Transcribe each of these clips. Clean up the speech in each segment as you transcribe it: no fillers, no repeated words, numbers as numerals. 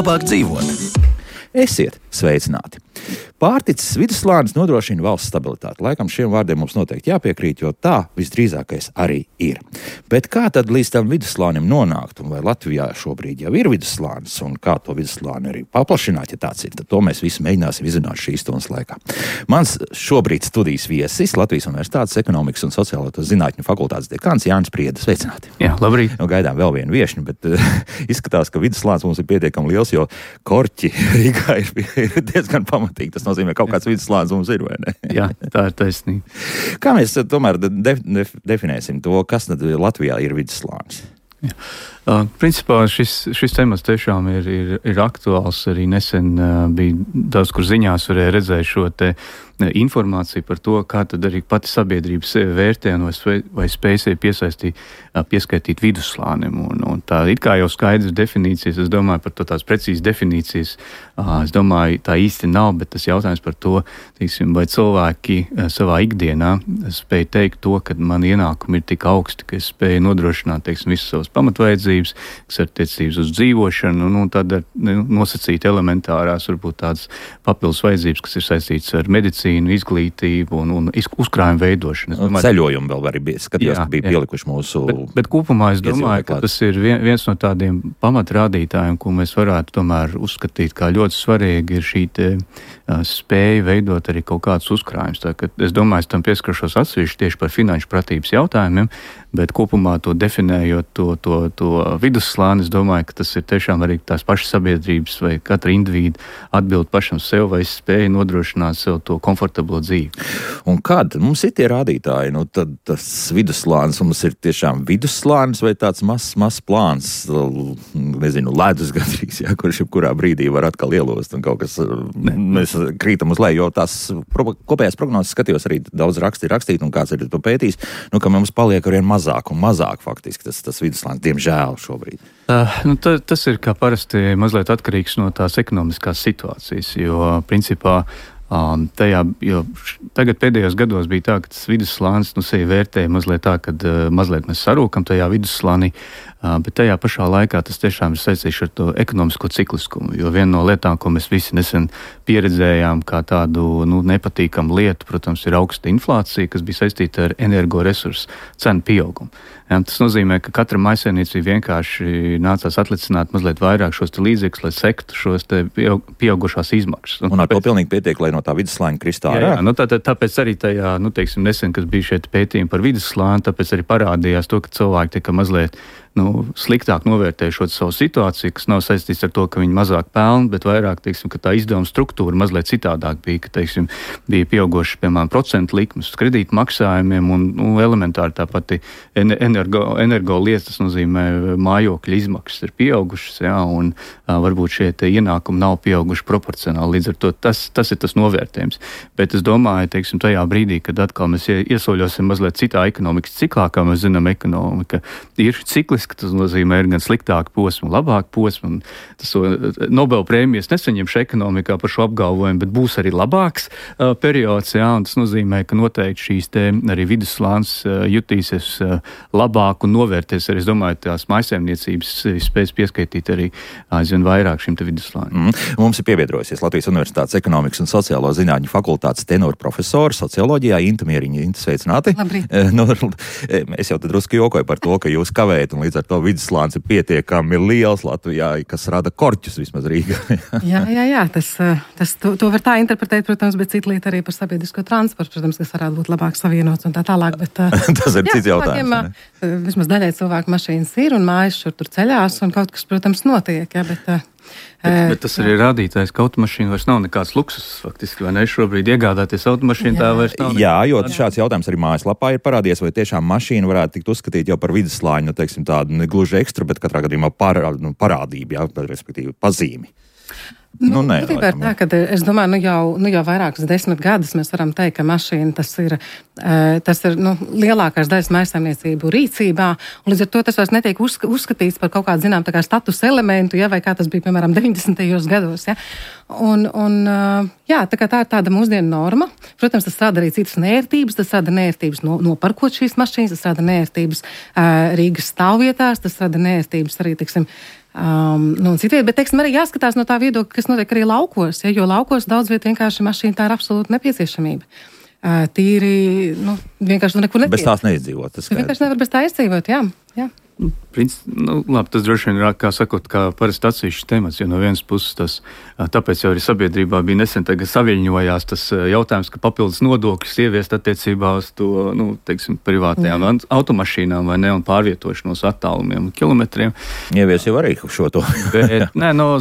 labāk dzīvot. Esiet sveicināti! Pārticis vidusslānis nodrošina valsts stabilitāti. Laikam šiem vārdiem mums noteikti jāpiekrīt, jo tā visdrīzākais arī ir. Bet kā tad līdz tam vidusslānim nonākt? Un vai Latvijā šobrīd jau ir vidusslānis? Un kā to vidusslāni arī paplašināt, ja tāds ir? Tad to mēs visi mēģināsim izrunāt šīs stundas laikā. Mans šobrīd studijas viesis Latvijas Universitātes ekonomikas un sociālo zinātņu fakultātes dekāns Jānis Priede. Sveicināti! Jā, labrīt! Gaidām vēl vienu viešņu, bet izskatās, ka vidusslānis mums ir pietiekami liels, jo Korķi Rīgā ir diezgan pamatīgi. Tas nozīmē, ka kaut kāds vidusslānis mums ir, vai ne? Jā, tā ir taisnība. Kā mēs tomēr definēsim to, kas tad Latvijā ir vidusslānis? Jā. Principā šis temats tiešām ir aktuāls. Arī nesen bija daudz, kur ziņās varēja redzēt šo te informāciju par to, kā tad arī pati sabiedrība sevi vērtē vai spēj sevi pieskaitīt vidusslānim. Un tā it kā jau skaidrs definīcijas, es domāju par to tās precīzas definīcijas, es domāju tā īsti nav, bet tas jautājums par to, teiksim, vai cilvēki savā ikdienā spēj teikt to, ka man ienākumi ir tik augsti, ka es spēju nodrošināt, teiksim, visas savas pamatvajadzības, kas ir attiecības uz dzīvošanu, un tad nosacīt elementārās, varbūt tādas papildus vajadzības, kas ir saistītas ar medicīnu, izglītību un uzkrājumu veidošanu. Ceļojumu vēl arī bija, skatījos, ka bija pielikuši mūsu... Bet kopumā es domāju, ka tas ir viens no tādiem pamatrādītājiem, ko mēs varētu tomēr uzskatīt kā ļoti svarīgi, ir šī spēja veidot arī kaut kādus uzkrājumus. Es domāju, es tam pieskaršos atsevišķi tieši par finanšu pratības jautājumiem, bet kopumā to definējot to vidusslāni, es domāju, ka tas ir tiešām arī tās pašas sabiedrības vai katra indivīda atbild pašam sev, vai spēja nodrošināt sev to komfortablo dzīvi. Un kad mums ir tie rādītāji, tad tas vidusslānis mums ir tiešām vidusslānis vai tāds mazs plāns, nezinu, ledus gandrīz, kurš jebkurā brīdī var atkal ielost un kaut kas, mēs krītam uz leju, jo tās kopējās prognozes skatījos arī daudz rakstīt un kāds ir to pētījis, ka mums paliek arvien mazāk un mazāk faktiski tas vidusslānis, diemžēl šobrīd. Tas ir kā parasti mazliet atkarīgs no tās ekonomiskās situācijas, jo principā jo tagad pēdējos gados bija tā, ka tas vidusslānis sevi vērtēja mazliet tā, kad mazliet mēs sarūkam tajā vidusslānī, bet tajā pašā laikā tas tiešām ir saistīts ar to ekonomisko cikliskumu, jo viena no lietām, ko mēs visi nesen pieredzējām kā tādu nepatīkamu lietu, protams, ir augsta inflācija, kas bija saistīta ar energoresursu cenu pieaugumu. Tas nozīmē, ka katra mājsaimniecība vienkārši nācās atlicināt mazliet vairāk šos līdzekļus, lai sektu šos pieaugušās izmaksas. Un ar to pilnīgi pietiek, lai no tā vidusslāņa kristā ārā? Jā, tāpēc arī tajā, teiksim, nesen, kas bija šeit pētījumi par vidusslāni, tāpēc arī parādījās to, ka cilvēki tika mazliet sliktāk novērtējušot savu situāciju, kas nav saistīts ar to, ka viņi mazāk pelna, bet vairāk, teiksim, ka tā izdevuma struktūra mazliet citādāk bija, ka, teiksim, bija pieaugoši, piemēram, procentu likmes kredītu maksājumiem un elementāri tā pati energo lietas, tas nozīmē mājokļa izmaksas ir pieaugušas, un varbūt šie ienākumi nav pieauguši proporcionāli, līdz ar to tas ir tas novērtējums. Bet es domāju, teiksim, tajā brīdī, kad atkal mēs iesoļosim mazliet citā ekonomikas ciklā, kā mēs zinām, ekonomika ir cikliski, tas nozīmē ir gan sliktāka posma, labāka posma, un tas Nobel prēmijas nesaņemšu ekonomikā par šo apgalvojumu, bet būs arī labāks periods, un tas nozīmē, ka noteikti šīs arī vidusslānis jutīsies labāk un novērties arī, es domāju, tās mājsaimniecības spēs pieskaitīt arī aizvien vairāk šim te vidusslānim. Mums ir pievienojusies Latvijas Universitātes ekonomikas un sociālo zinātņu fakultātes tenora profesora socioloģijā Inta Mieriņa. Inta, sveicināti! Labrīt! Es jau tad drusku jokoju par to, ka jūs kavējat, un līdz ar to vidusslānis ir pietiekami liels Latvijā, kas rada korķus vismaz Rīgā. Jā, to var tā interpretēt, protams, bet cita lieta arī par sabiedrisko transportu, protams, kas varētu būt labāk savienots un tā tālāk, bet tas ir cits jautājums. Vismaz daļai cilvēku mašīnas ir un mājas šur tur ceļās un kaut kas, protams, notiek, bet tas arī rādītājs, ka automašīna vairs nav nekāds luksus, faktiski, vai ne? Šobrīd iegādāties automašīnu, tā vairs nav. Jā, jo šāds jautājums arī mājaslapā ir parādies, vai tiešām mašīna varētu tikt uzskatīt jau par vidusslāņu, teiksim, tādu ne gluži ekstra, bet katrā gadījumā parādība, respektīvi pazīmi. Nē, tā, ka es domāju, jau vairākus 10 gadus mēs varam teikt, ka mašīna tas ir lielākās daļas mājsaimniecību rīcībā, un līdz ar to tas vairs netiek uzskatīts par kaut kādu, zinām, tā kā status elementu, vai kā tas bija, piemēram, 90. gados, tā kā tā ir tāda mūsdienu norma. Protams, tas rada arī citas nērtības, tas rada nērtības nopirkot šīs mašīnas, tas rada nērtības Rīgas stāvvietās, tas rada nērtības arī, teiksim, Un citviet, bet, teiksim, arī jāskatās no tā viedokļa, kas notiek arī laukos, jo laukos daudz viet vienkārši mašīna tā ir absolūta nepieciešamība. Tīri, vienkārši tu nekur netiek. Bez tās neizdzīvot. Tu vienkārši nevar bez tā izdzīvot, jā. Labi, tas droši vien ir, kā sakot, kā parasti atsevišķs temats, jo no vienas puses tas, tāpēc jau arī sabiedrībā bija nesen tagad saviļņojās tas jautājums, ka papildus nodokļus ieviest attiecībā uz to, privātajām automašīnām vai ne, un pārvietošanos attālumiem un kilometriem. Ievies jau arī šo to. Bet,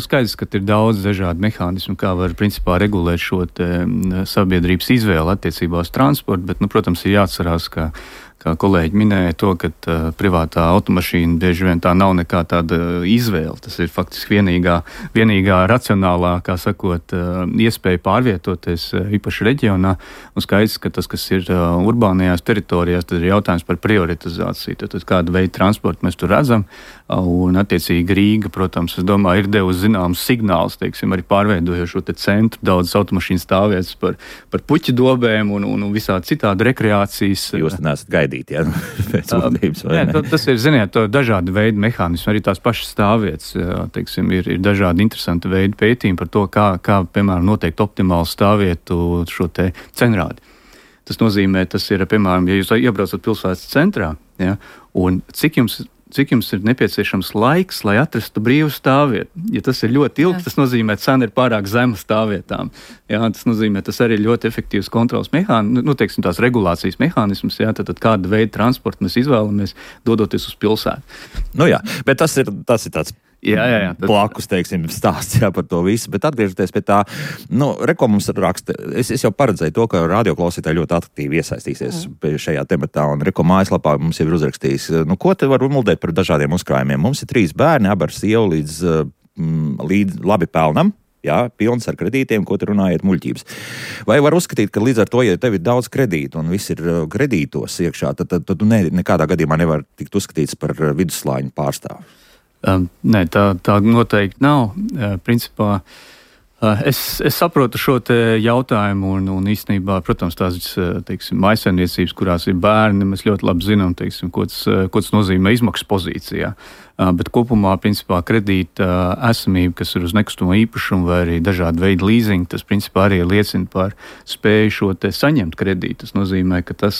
skaidrs, ka ir daudz dažādu mehānismu, kā var principā regulēt šo sabiedrības izvēli attiecībā uz transportu, bet, protams, ir jāatcerās, kā kolēģi minēja to, ka privātā automašīna bieži vien tā nav nekā tāda izvēle. Tas ir faktiski vienīgā racionālā, kā sakot, iespēja pārvietoties īpaši reģionā. Un skaidrs, ka tas, kas ir urbānajās teritorijās, tad ir jautājums par prioritizāciju. Tad kādu veidu transportu mēs tur redzam. Un attiecīgi Rīga, protams, es domāju, ir devusi zināmus signālus, arī pārveidojot šo centru, daudzas automašīnas stāvvietas par puķu dobēm un visādi citādi rekreācijas. Jūs nesat gaidīt, ja? Pēc būtības, vai ne? Tas ir, ziniet, dažādi veidi mehānismi, arī tās pašas stāvvietas, ir dažādi interesanti veidi pētījumi par to, kā piemēram, noteikt optimālu stāvvietu šo te cenrādi. Tas nozīmē, tas ir, piemēram, ja jūs iebraucat pilsētas centrā, ja, un cik jums ir nepieciešams laiks, lai atrastu brīvu stāvvietu. Ja tas ir ļoti ilgs, tas nozīmē, ka cena ir pārāk zema stāvvietām. Jā, tas nozīmē, tas arī ir ļoti efektīvs kontrols mehānisms, tās regulācijas mehānisms, jā, tad kāda veida transportu mēs izvēlamies, dodoties uz pilsētu. Jā, bet tas ir tāds blakus, stāsts par to visu, bet atgriežoties pie tā, Reko mums raksta, es jau paredzēju to, ka radioklausītāji ļoti aktīvi iesaistīsies šajā tematā, un Reko mājaslapā mums jau ir uzrakstījis, ko te var muldēt par dažādiem uzkrājumiem. Mums ir 3 bērni, abi ar sievu līdz labi pelnam, jā, pilns ar kredītiem, ko te runājiet muļķības. Vai var uzskatīt, ka līdz ar to, ja tev ir daudz kredītu un viss ir kredītos iekšā, tad tu nekādā gadījumā nevar tikt uzskatīts par vidusslāņu pārstāvu? Nē, tā noteikti nav. Principā es saprotu šo te jautājumu un īstenībā, protams, tās, mājsaimniecības, kurās ir bērni, mēs ļoti labi zinām, ko tas nozīmē izmaksu pozīcijā. Bet kopumā, principā, kredīta esamība, kas ir uz nekustamo īpašumu vai arī dažādi veidi leasingi, tas, principā, arī liecina par spēju šo te saņemt kredītu. Tas nozīmē, ka tas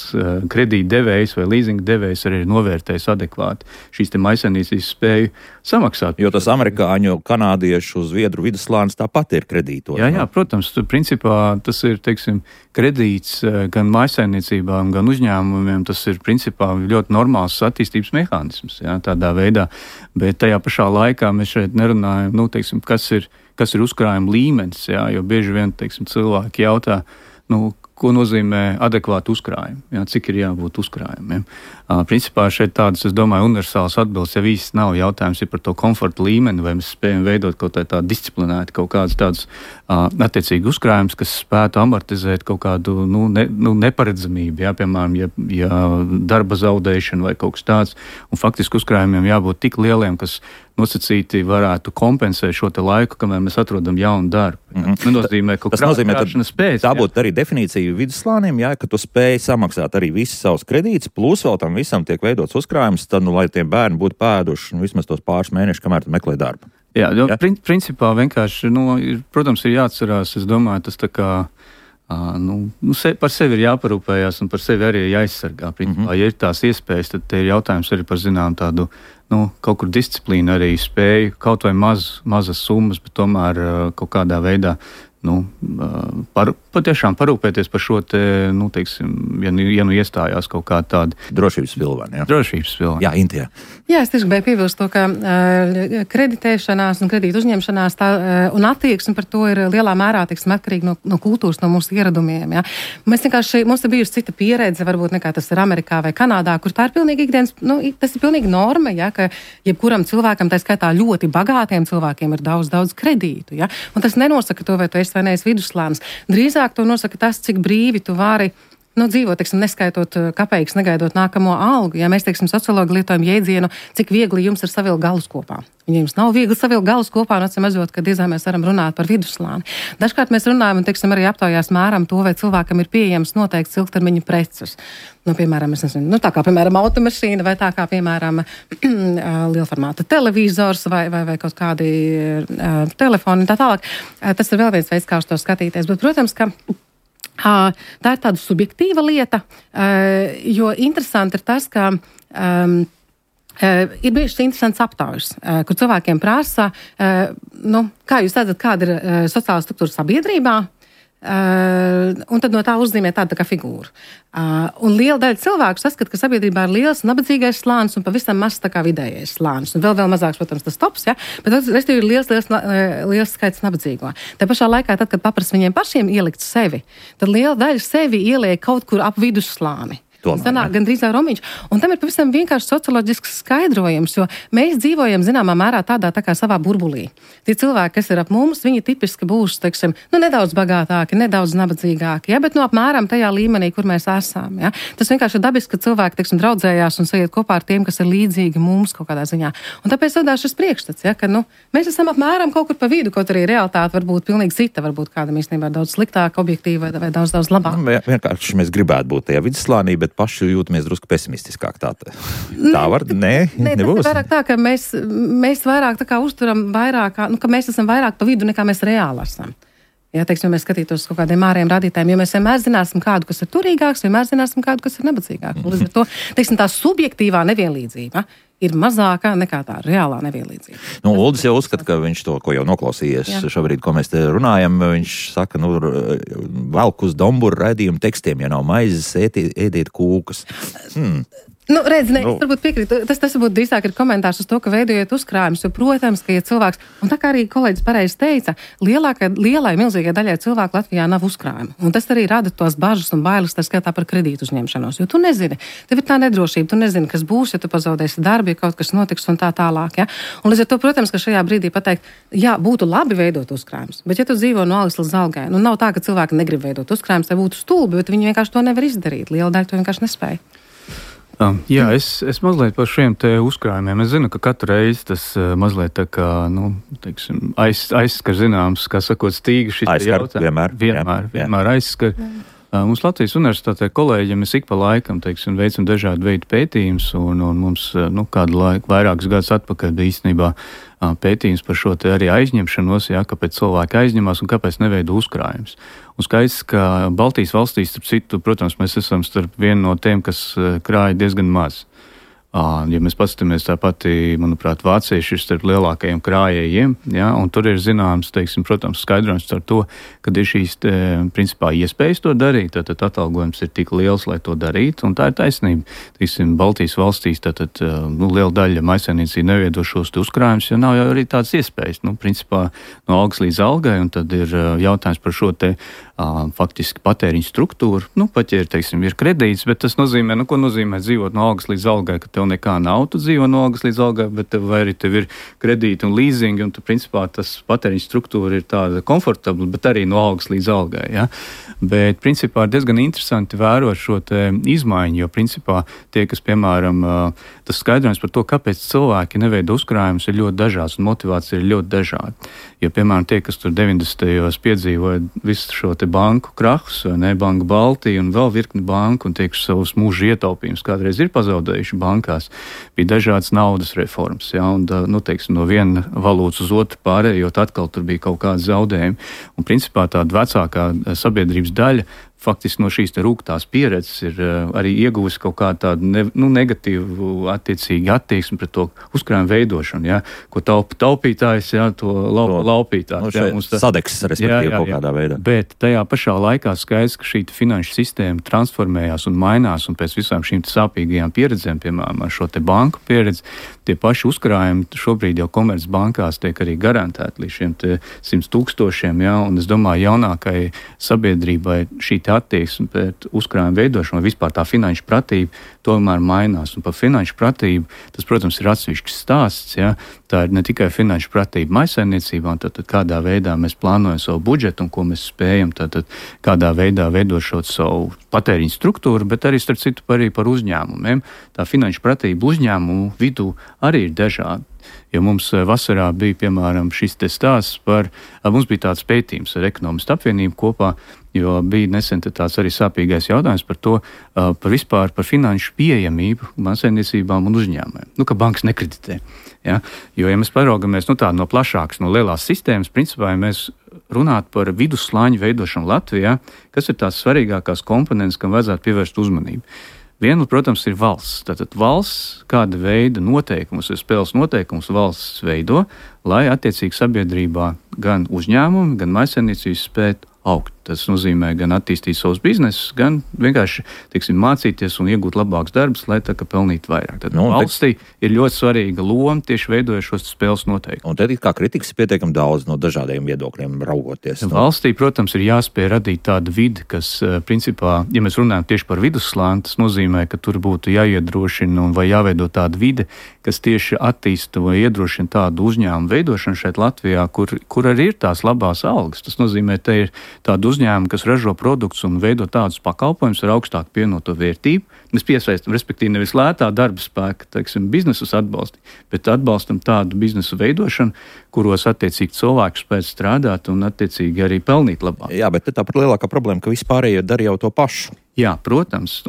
kredīta devējs vai leasinga devējs arī ir novērtējis adekvāti šīs te mājsaimniecības spēju samaksāt. Jo tas amerikāņu, kanādiešu, zviedru vidusslānis tāpat ir kredītos. Jā, protams, principā tas ir, kredīts gan mājsaimniecībām, gan uzņēmumiem, tas ir, principā, ļoti normāls attīstības mehānisms, jā, tādā veidā. Bet tajā pašā laikā mēs šeit nerunājam, kas ir uzkrājuma līmenis, jā, jo bieži vien, cilvēki jautā, ko nozīmē adekvāti uzkrājumi, jā, cik ir jābūt uzkrājumiem. Principā šeit tādas, es domāju, universālas atbildes jau īsti nav. Jautājums ir par to komforta līmeni, vai mēs spējam veidot kaut tādu disciplinētu, kaut kādus tādus attiecīgi uzkrājumus, kas spētu amortizēt kaut kādu neparedzamību, jā, piemēram, ja darba zaudēšana vai kaut kas tāds, un faktiski uzkrājumiem jābūt tik lieliem, kas nosacīti varētu kompensēt šo te laiku, kamēr mēs atrodam jaunu darbu. Tas nozīmē, ka krāšanas spējas. Tā būtu arī definīcija vidusslānim, jā, ka tu spēj samaksāt arī visus savus kredītus, plus vēl tam visam tiek veidots uzkrājums, tad, lai tie bērni būtu pēduši vismaz tos pāris mēnešus, kamēr tu meklē darbu. Jā, principā vienkārši, protams, ir jāatcerās, es domāju, tas tā kā, par sevi ir jāparūpējās un par sevi arī jāizsargā. Principā, ja ir tās iespējas, tad te ir jautājums arī par zinām tādu, kaut kur disciplīnu arī spēju, kaut vai mazas summas, bet tomēr kaut kādā veidā, patiešām parūpēties par šo te, ja iestājās kaut kā tāda drošības pilvani, jā. Drošības pilvani. Jā, Intijā. Jā, es tieši gribēju piebilst to, ka kreditēšanās un kredītu uzņemšanās un attieksme par to ir lielā mērā, atkarīgi no kultūras, no mūsu ieradumiem, jā. Mums ir bijusi cita pieredze, varbūt nekā tas ir Amerikā vai Kanādā, kur tā ir pilnīgi ikdienas, tas ir pilnīgi norma, jā, ka jebkuram cilvēkam, tā skaitā ļoti bagātiem cilvēkiem ir daudz kredītu, jā. Un tas nenosaka to, vai tu esi vai neesi vidusslānis. Drīzāk to nosaka tas, cik brīvi tu vari dzīvo, teiksim, neskaitot kapeikas, negaidot nākamo algu. Ja mēs, teiksim, sociologi lietojam jēdzienu, cik viegli jums ir savilkt galus kopā. Ja jums nav viegli savilkt galus kopā, un atsimazot, ka diezgan mēs varam runāt par vidusslāni. Dažkārt mēs runājam, un, teiksim, arī aptaujās mēram to, vai cilvēkam ir pieejams noteikts ilgtermiņa preces. Piemēram, tā kā, piemēram, automašīna, vai tā kā, piemēram, lielformāta televizors, vai kaut kādi telefoni, tā tālāk. Tas ir vēl viens veids, kā uz to skatīties. Bet, protams, ka tā ir tāda subjektīva lieta, jo interesanti ir tas, ka ir bijušas interesants aptaujas, kur cilvēkiem prasa, kā jūs redzat, kāda ir sociālā struktūra sabiedrībā, un tad no tā uzzīmē tāda kā figūra. Un liela daļa cilvēku saskata, ka sabiedrībā ir liels nabadzīgais slānis un pavisam mazs tā kā vidējais slānis. Un vēl mazāks, protams, tas tops, ja? Bet tas ir liels skaits nabadzīgo. Tā pašā laikā, tad, kad paprasa viņiem pašiem ielikt sevi, tad liela daļa sevi ieliek kaut kur ap vidusslāni. Sanāk gandrīz romiņš. Un tam ir pavisam vienkārši socioloģisks skaidrojums, jo mēs dzīvojam zināmā mērā tādā tā kā savā burbulī. Tie cilvēki, kas ir ap mums, viņi tipiski būs, teiksim, nedaudz bagātāki, nedaudz nabadzīgāki, ja, bet apmēram tajā līmenī, kur mēs esam. Ja. Tas vienkārši ir dabiski, ka cilvēki, teiksim, draudzējās un sajiet kopā ar tiem, kas ir līdzīgi mums kaut kādā ziņā. Un tāpēc radās šis priekšstats, ja, ka, mēs esam apmēram kaut kur pa vidu, kaut arī realitāte var būt pilnīgi cita, varbūt kādam īstenībā daudz sliktāka, objektīva vai daudz labāk. Vienkārši mēs gribētu būt tajā vidusslānī, bet paši jūtamies drusku pesimistiskāk. Tā var? Nē, nebūs. Tas ir vairāk tā, ka mēs vairāk tā kā uzturam vairāk, ka mēs esam vairāk pa vidu, nekā mēs reāli esam. Ja, teiksim, mēs skatītos kaut kādiem ārējiem radītājiem, jo mēs vienmēr zināsim kādu, kas ir turīgāks, vienmēr zināsim kādu, kas ir nabadzīgāks. Līdz ar to, teiksim, tā subjektīvā nevienlīdzība ir mazāka nekā tā reālā nevienlīdzība. Uldis jau uzskata, ka viņš to, ko jau noklausījies šobrīd, ko mēs te runājam, viņš saka, velk uz domburu raidījumu tekstiem, ja nav maizes, ēdiet kūkas. Varbūt piekrītu. Tas varbūt drīzāk ir komentārs uz to, ka veidojiet uzkrājumus, jo, protams, ka, ja cilvēks, un tā kā arī kolēģis pareizi teica, lielai, milzīgai daļai cilvēku Latvijā nav uzkrājumu. Un tas arī rada tos bažas un bailes, tā skaitā par kredītu uzņemšanos, jo tu nezini, tev ir tā nedrošība, tu nezini, kas būs, ja tu pazaudēsi darbu, ja kaut kas notiks un tā tālāk, ja. Un līdz ar to, protams, ka šajā brīdī pateikt, jā, būtu labi veidot uzkrājumus, bet ja tu dzīvo no algas līdz algai, nav tā, ka cilvēki negrib veidot uzkrājumus, tai būtu stulbi, bet viņi vienkārši to nevar izdarīt. Liela daļa to vienkārši nespēja. Jā, es mazliet par šiem te uzkrājumiem. Es zinu, ka katru reizi tas mazliet tā kā, teiksim, aizskar zināms, kā sakot, stīga šis jautājums. Vienmēr aizskar. Mums Latvijas universitātē kolēģiem mēs ik pa laikam, teiksim, veicam dažādu veidu pētījumus, un mums, kādu laiku, vairākus gadus atpakaļ bija īstenībā pētījums par šo te arī aizņemšanos, kāpēc cilvēki aizņemās un kāpēc neveido uzkrājumus. Un skaidrs, ka Baltijas valstīs, starp citu, protams, mēs esam starp vienu no tiem, kas krāja diezgan maz. Ja mēs paskatāmies tā pati, manuprāt, vācieši ir starp lielākajiem krājējiem, un tur ir zināms, teiksim, protams, skaidrojums par to, kad ir šīs, principā, iespējas to darīt, tātad atalgojums ir tik liels, lai to darītu, un tā ir taisnība. Teiksim, Baltijas valstīs, tātad, liela daļa maisaimniecība neveido šos uzkrājumus, jo nav jau arī tādas iespējas, principā, no algas līdz algai, un tad ir jautājums par šo te faktiski patēriņu struktūru. Pat ja ir kredīts, bet tas nozīmē, ko nozīmē dzīvot no algas līdz algai, ka tev nekā nav, tu dzīvo no algas līdz algai, bet vai arī tev ir kredīti un līzingi, un tu, principā, tas patēriņu struktūra ir tāda komfortabla, bet arī no algas līdz algai, Bet, principā, ir diezgan interesanti vērot šo te izmaiņu, jo, principā, tie, kas, piemēram, tas skaidrojums par to, kāpēc cilvēki neveido uzkrājumus, ir ļoti dažāds, un motivācija ir ļoti dažāda. Jo, piemēram, tie, kas tur 90. piedzīvoja visu šo te banku krahus, Banka Baltija un vēl virkni banku, un tie, kas savus mūža ietaupījumus kādreiz ir pazaudējuši bankās, bija dažādas naudas reformas, un, teiksim, no viena valūtas uz otru pārējot, atkal tur bija kaut kādi zaudējumi. Un, principā, tāda vecākā sabiedrības daļa faktiski no šīs te rūgtās pieredzes ir arī ieguvusi kaut kādu tādu negatīvu attiecīgi attieksmi pret to uzkrājumu veidošanu, ko taupītājs, to laupītājs. Sadeksis, respektīvi, kaut kādā veidā. Bet tajā pašā laikā skaidrs, ka šī finanšu sistēma transformējās un mainās, un pēc visām šīm sāpīgajām pieredzēm, piemēram, ar šo te banku pieredzi, tie paši uzkrājumi šobrīd jau komercbankās tiek arī garantēti līdz šiem te 100,000, un es domāju, jaunākai sabiedrībai šī attieksme pret uzkrājumu veidošanu, vai vispār tā finanšu pratība tomēr mainās. Un par finanšu pratību tas, protams, ir atsevišķs stāsts, tā ir ne tikai finanšu pratība maisaimniecībā, un tad kādā veidā mēs plānojam savu budžetu un ko mēs spējam, tad kādā veidā veidot šo savu patēriņu struktūru, bet arī, starp citu, arī par uzņēmumiem. Tā finanšu pratība uzņēmumu vidū arī ir dažāda. Jo mums vasarā bija, piemēram, šis te stāsts mums bija tāds pētījums ar Ekonomistu apvienību kopā, jo bija nesen tāds arī sāpīgais jautājums par to, par finanšu pieejamību mājsaimniecībām un uzņēmumiem. Ka bankas nekreditē. Ja? Jo, ja mēs paraugamies no plašākas, no lielās sistēmas, principā, ja mēs runātu par vidusslāņu veidošanu Latvijā, kas ir tās svarīgākās komponentes, kam vajadzētu pievērst uzmanību. Viena, protams, ir valsts. Tātad valsts kāda veida noteikumus, spēles noteikumus valsts veido, lai attiecīgi sabiedrībā gan uzņēmumi, gan mājsaimniecības spētu augt. Tas nozīmē gan attīstīt savus biznesus, gan vienkārši, mācīties un iegūt labākus darbus, lai tā kā pelnītu vairāk. Tad valstī ir ļoti svarīga loma tieši veidojot šos spēles noteikumus. Un tad kā kritikas ir pietiekami daudz no dažādiem viedokļiem raugoties. Valstī, protams, ir jāspēj radīt tādu vidi, kas, principā, ja mēs runājam tieši par vidusslāni, tas nozīmē, ka tur būtu jāiedrošina vai jāveido tāda vide, kas tieši attīsta vai iedrošina tādu uzņēmumu veidošanu šeit Latvijā, kur arī ir tās labās algas. Tas nozīmē, ka ir tāda uzņēmumi, kas ražo produktus un veido tādus pakalpojumus ar augstāku pievienoto vērtību. Mēs piesaistam, respektīvi, nevis lētā darba spēka, biznesus atbalstīt, bet atbalstam tādu biznesu veidošanu, kuros attiecīgi cilvēki spēj strādāt un attiecīgi arī pelnīt labāk. Jā, bet tāpat lielākā problēma, ka vispārējie dara jau to pašu. Jā, protams.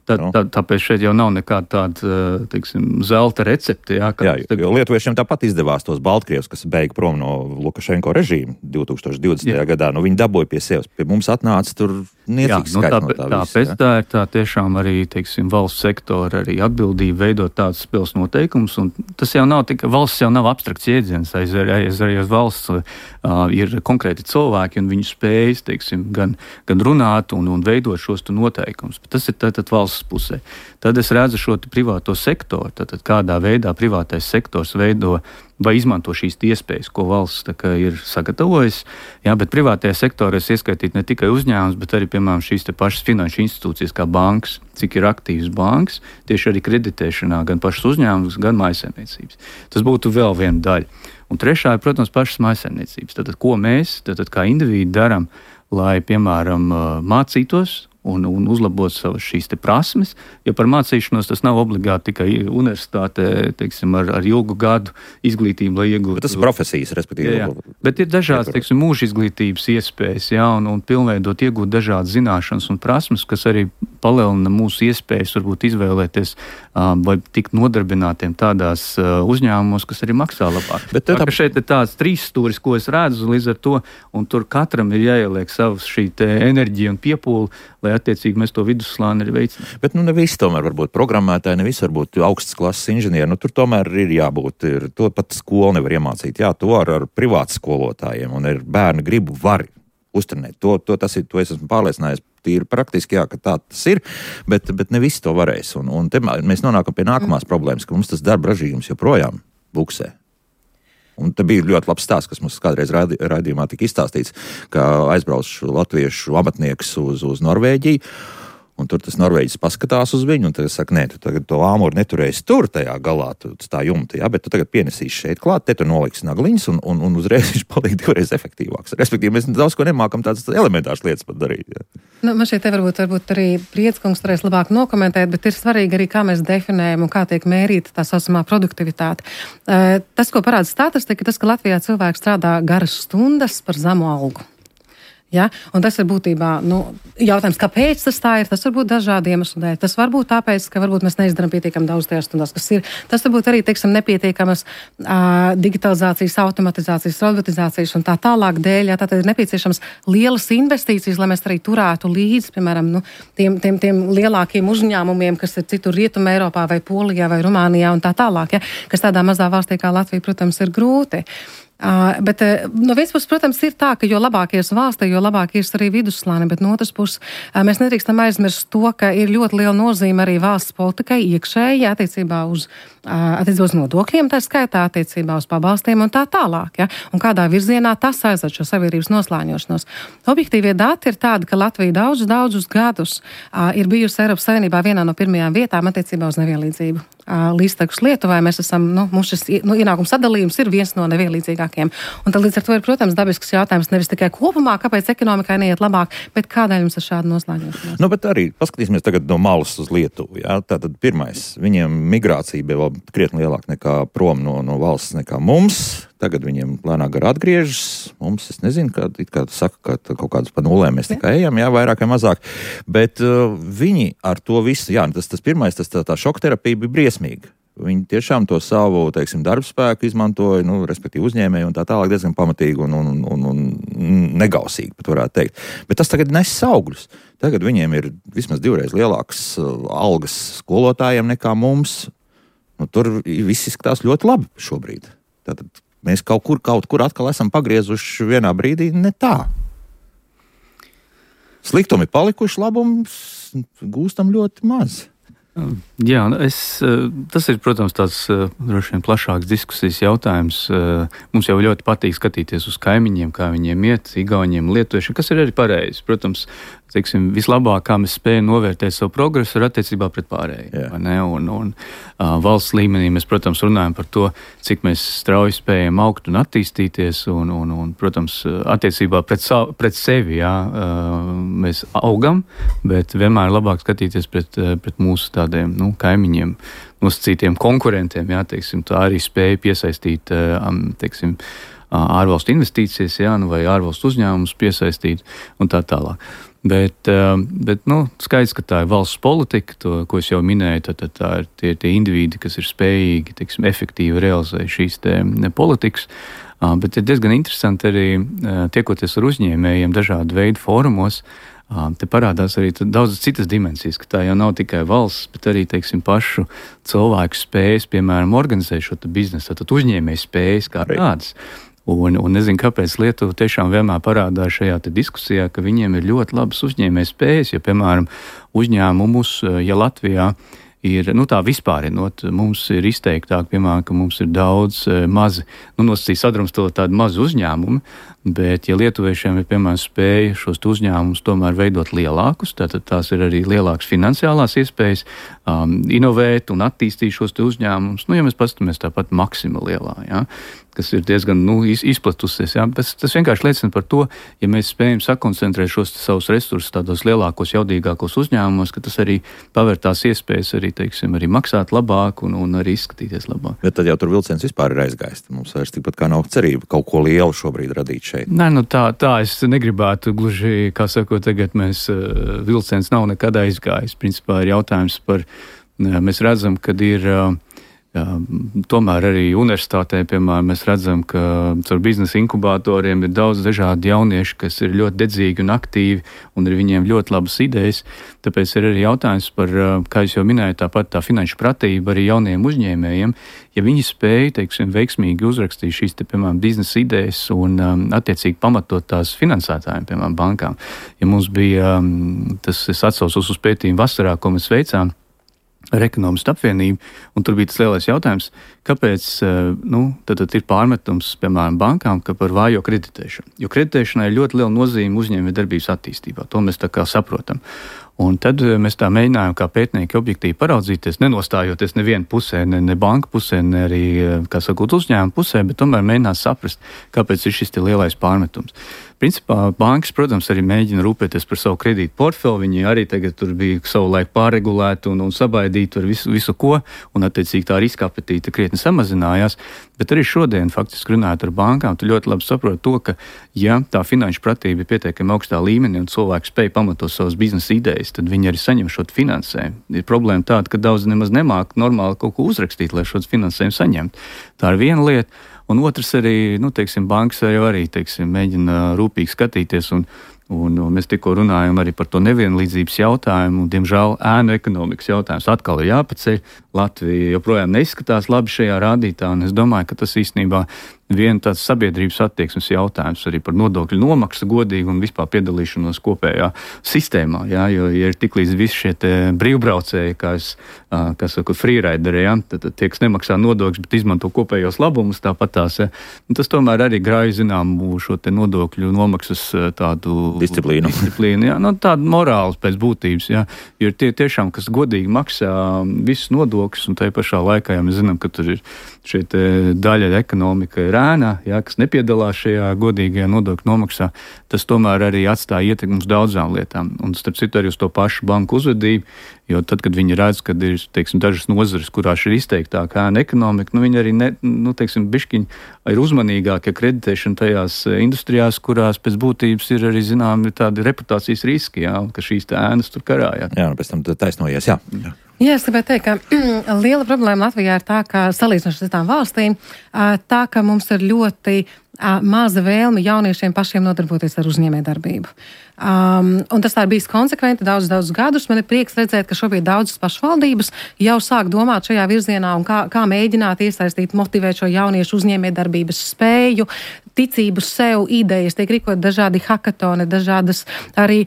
Tāpēc šeit jau nav nekāda tāda, zelta recepte. Jā, jo lietuviešiem tāpat izdevās tos Baltkrievus, kas beiga prom no Lukašenko režīma 2020. gadā. Viņi dabūja pie sevis. Pie mums atnāca tur niecīgs skaits no tā visa. Tāpēc tā ir tā tiešām arī, valsts sektora arī atbildība veidot tādus spēles noteikumus. Un tas jau nav tikai, valsts jau nav abstrakts jēdziens. Arī valsts ir konkrēti cilvēki un viņu spējas, gan runāt un veidot šos noteikumus. Bet tas ir tātad valsts pusē. Tad es redzu šo privāto sektoru, tātad kādā veidā privātais sektors veido vai izmanto šīs iespējas, ko valsts ir sagatavojis. Jā, bet privātajā sektorā es ieskaitītu ne tikai uzņēmums, bet arī, piemēram, šīs pašas finanšu institūcijas kā bankas, cik ir aktīvas bankas, tieši arī kreditēšanā gan pašas uzņēmumus, gan mājsaimniecības. Tas būtu vēl viena daļa. Un trešā ir, protams, pašas mājsaimniecības. Tātad, ko mēs, kā indivīdi darām, lai, piemēram, mācītos un uzlabot savas šīs prasmes, jo par mācīšanos tas nav obligāti tikai universitātē, ar ilgu gadu izglītību, lai iegūtu. Bet tas ir profesijas, respektīvi. Jā. Bet ir dažādas, mūža izglītības iespējas, un pilnveidot, iegūt dažādas zināšanas un prasmes, kas arī palielina mūsu iespējas varbūt izvēlēties vai tikt nodarbinātiem tādās uzņēmumos, kas arī maksā labāk. Bet šeit ir tāds trīs stūris, ko es redzu līdz ar to, un tur katram ir jāieliek savs šī enerģija un piepūle, lai attiecīgi mēs to vidusslāni arī veicinām. Bet ne visi tomēr var būt programmētāji, ne visi var būt augstas klases inženieri. Tur tomēr ir jābūt, to pat skola nevar iemācīt. Jā, to ar privātu skolotājiem, un ir bērni gribu var uztrenēt. To es esmu pārliecinājies. Tīri praktiski, jā, ka tā tas ir, bet ne visi to varēs. Un te mēs nonākam pie nākamās problēmas, ka mums tas darba ražīgums joprojām buksē. Un te bija ļoti labs stāsts, kas mums kādreiz raidījumā tika izstāstīts, ka aizbrauc latviešu amatnieks uz Norvēģiju, un tur tas norvēģis paskatās uz viņu, un tad saka, nē, tu tagad to āmuru neturēsi tur tajā galā, tā jumta, jā, bet tu tagad pienesīsi šeit klāt, te tu noliksi nagliņas, un uzreiz viņš paliek divreiz efektīvāks. Respektīvi, mēs daudz ko nemākam tādas elementāras lietas pat darīt. Jā. Man šeit varbūt arī Prieckungs varēs labāk nokomentēt, bet ir svarīgi arī, kā mēs definējam un kā tiek mērīta tā saucamā produktivitāte. Tas, ko parāda statistika, tas, ka Latvijā cilvēks strādā garas stundas par zemu algu. Ja? Un tas ir būtībā jautājums, kāpēc tas tā ir. Tas var būt dažādi iemesli dēļ. Tas var būt tāpēc, ka varbūt mēs neizdarām pietiekami daudz tajās stundās, kas ir. Tas var būt arī, nepietiekamas digitalizācijas, automatizācijas, robotizācijas un tā tālāk dēļ. Ja? Tātad ir nepieciešams lielas investīcijas, lai mēs arī turētu līdzi, piemēram, tiem lielākiem uzņēmumiem, kas ir citur Rietumē Eiropā vai Polijā vai Rumānijā un tā tālāk, ja? Kas tādā mazā valstī kā Latvija, protams, ir grūti. Bet no vienas puses, protams, ir tā, ka jo labāk ies valstī, jo labāk ies arī vidusslāni, bet no otras puses mēs nedrīkstam aizmirst to, ka ir ļoti liela nozīme arī valsts politikai iekšēji attiecībā uz nodokļiem, tā skaitā attiecībā uz pabalstiem un tā tālāk. Ja? Un kādā virzienā tas aizved šo sabiedrības noslāņošanos. Objektīvie dati ir tādi, ka Latvija daudzus gadus ir bijusi Eiropas Savienībā vienā no pirmajām vietām attiecībā uz nevienlīdzību. līdztekus Lietuvai. Mēs esam, mums šis ienākums sadalījums ir viens no nevienlīdzīgākiem. Un tad līdz ar to ir, protams, dabisks jautājums nevis tikai kopumā, kāpēc ekonomikai neiet labāk, bet kādēļ mums ir šāda noslēgšanās. Bet arī paskatīsimies tagad no malas uz Lietuvu. Jā? Tātad pirmais, viņiem migrācija bija vēl krietni lielāka nekā prom no valsts nekā mums. Tagad viņiem lēnāk gar atgriežas. Mums, es nezinu, kā saka, ka kaut kādus pa nulēm mēs tikai ejam, jā, vairāk vai mazāk. Bet viņi ar to visu, jā, tas pirmais, tā šokterapija bija briesmīga. Viņi tiešām to savu, darbspēku izmantoja, respektīvi uzņēmēji un tā tālāk diezgan pamatīgi un negausīgi, pat varētu teikt. Bet tas tagad nes augļus. Tagad viņiem ir vismaz 2 reizes lielākas algas skolotājiem nekā mums. Tur viss izskatās ļoti labi šobrīd. Tātad mēs kaut kur atkal esam pagriezuši vienā brīdī ne tā. Sliktumi palikuši, labums gūstam ļoti maz. Jā, tas ir, protams, tāds droši vien plašāks diskusijas jautājums. Mums jau ļoti patīk skatīties uz kaimiņiem, kā viņiem iet, igauņiem, lietuviešiem, kas ir arī pareizi. Protams, vislabāk, kā mēs spējam novērtēt savu progresu, ir attiecībā pret pārējiem. Un valsts līmenī mēs, protams, runājam par to, cik mēs strauji spējam augt un attīstīties, un protams, attiecībā pret sevi, jā, mēs augam, bet vienmēr labāk skatīties pret mūsu tādiem, kaimiņiem, nosacītiem konkurentiem, jā, tā arī spēja piesaistīt, ārvalstu investīcijas, jā, vai ārvalstu uzņēmumus piesaistīt un tā tālāk. Bet skaidrs, ka tā ir valsts politika, ko es jau minēju, tad tā ir tie individi, kas ir spējīgi, efektīvi realizēt šīs politikas. Bet ir diezgan interesanti arī tiekoties ar uzņēmējiem dažādu veidu fórumos. Te parādās arī daudzas citas dimensijas, ka tā jau nav tikai valsts, bet arī, pašu cilvēku spējas, piemēram, organizēt šo biznesu, tad uzņēmēju spējas kā tādas. Un nezinu, kāpēc Lietuva tiešām vienmēr parādās šajā diskusijā, ka viņiem ir ļoti labas uzņēmēju spējas, ja, piemēram, uzņēmumus, ja Latvijā ir, tā vispārinot, mums ir izteiktāk, piemēram, ka mums ir daudz mazi, nosacīt sadrumstalot tādi mazi uzņēmumi, bet, ja lietuviešiem ir, piemēram, spēja šos uzņēmumus tomēr veidot lielākus, tātad tās ir arī lielākas finansiālās iespējas, inovēt un attīstīt šos uzņēmumus, ja mēs paskatāmies tāpat Maksima lielā, jā, kas ir diezgan izplatusies. Jā. Tas vienkārši liecina par to, ja mēs spējam sakoncentrēt šos savus resursus tādos lielākos, jaudīgākos uzņēmumos, ka tas arī paver tās iespējas arī maksāt labāk un arī izskatīties labāk. Bet tad jau tur vilciens vispār ir aizgājis. Mums vairs tikpat kā nav cerība kaut ko lielu šobrīd radīt šeit. Nē, tā es negribētu gluži, kā sakot, tagad vilciens nav nekad aizgājis. Principā ir jautājums par, mēs redzam, kad ir tomēr arī universitātē, piemēram, mēs redzam, ka caur biznesa inkubatoriem ir daudz dažādi jaunieši, kas ir ļoti dedzīgi un aktīvi, un ir viņiem ļoti labas idejas. Tāpēc ir arī jautājums par, kā es jau minēju, tāpat tā finanšu pratība arī jauniem uzņēmējiem. Ja viņi spēja, veiksmīgi uzrakstīt šīs, piemēram, biznesa idejas un attiecīgi pamatot tās finansētājiem, piemēram, bankām. Ja mums bija, es atsaucos uz pētījumu vasarā, ko mēs veicām, ar ekonomistu apvienību, un tur bija tas lielais jautājums, kāpēc tad ir pārmetums, piemēram, bankām, ka par vājo kreditēšanu. Jo kreditēšanai ir ļoti liela nozīme uzņēmējdarbības attīstībā. To mēs tā kā saprotam. Un tad mēs tā mēģinājām kā pētnieki objektīvi paraudzīties, nenostājoties nevienu pusē, ne banka pusē, ne arī, kā sakot, uzņēmuma pusē, bet tomēr mēģināt saprast, kāpēc ir šis lielais pārmetums. Principā bankas, protams, arī mēģina rūpēties par savu kredītu portfeli. Viņi arī tagad tur bija savu laiku pārregulēti un sabaidīti ar visu ko, un attiecīgi tā riska apetīte krietni samazinājās. Bet arī šodien, faktiski runājot ar bankām, tu ļoti labi saproti to, ka, ja tā finanšu pratība ir pietiekami augstā līmenī un cilvēki spēj pamatot savas biznesa idejas, tad viņi arī saņem šo finansējumu. Ir problēma tāda, ka daudz nemaz nemāk normāli kaut ko uzrakstīt, lai šo finansējumu saņemtu. Tā ir viena lieta. Un otrs arī, bankas arī mēģina rūpīgi skatīties, un mēs tikko runājam arī par to nevienlīdzības jautājumu, un, diemžēl, ēnu ekonomikas jautājums atkal ir jāpaceļ. Latvija joprojām neizskatās labi šajā rādītā, un es domāju, ka tas īstenībā viena tāds sabiedrības attieksmes jautājums arī par nodokļu nomaksu godīgu un vispār piedalīšanos kopējā sistēmā, jā, jo ja ir tiklīdz visi šie brīvbraucēji, kā saka, freerideri, jā, tad tie, kas nemaksā nodokļus, bet izmanto kopējos labumus, tāpat tās, jā, un tas tomēr arī grauj zināmu šo nodokļu nomaksas tādu disciplīnu, jā, tādu morālu pēc būtības, jā, jo ir tie tiešām, kas godīgi maksā visus nodokļus, nodokļus, un tajā pašā laikā, ja mēs zinām, ka tur ir šī daļa ekonomika ir ēnā, kas nepiedalās šajā godīgajā nodokļu nomaksā, tas tomēr arī atstāja ietekmi uz daudzām lietām. Un starp citu arī uz to pašu banku uzvedību, jo tad, kad viņi redz, ka ir, teiksim, dažas nozares, kurās ir izteiktāka ēna ekonomika, viņi arī, bišķiņi ir uzmanīgāki kreditēšana tajās industrijās, kurās pēc būtības ir arī, tādi reputācijas riski, ka šīs ēnas tur karājā. Jā, un pēc tam taisnojies, jā. Jā, es gribētu teikt, ka liela problēma Latvijā ir tā, ka salīdzinoši ar citām valstīm, tā, ka mums ir ļoti maza vēlme jauniešiem pašiem nodarboties ar uzņēmējdarbību. Un tas tā ir bijis konsekventi daudzus gadus. Man ir prieks redzēt, ka šobrīd daudzas pašvaldības jau sāk domāt šajā virzienā un kā mēģināt iesaistīt, motivēt šo jauniešu uzņēmējdarbības spēju, ticību sev, idejas, tiek rīkot dažādi hakatoni, dažādas arī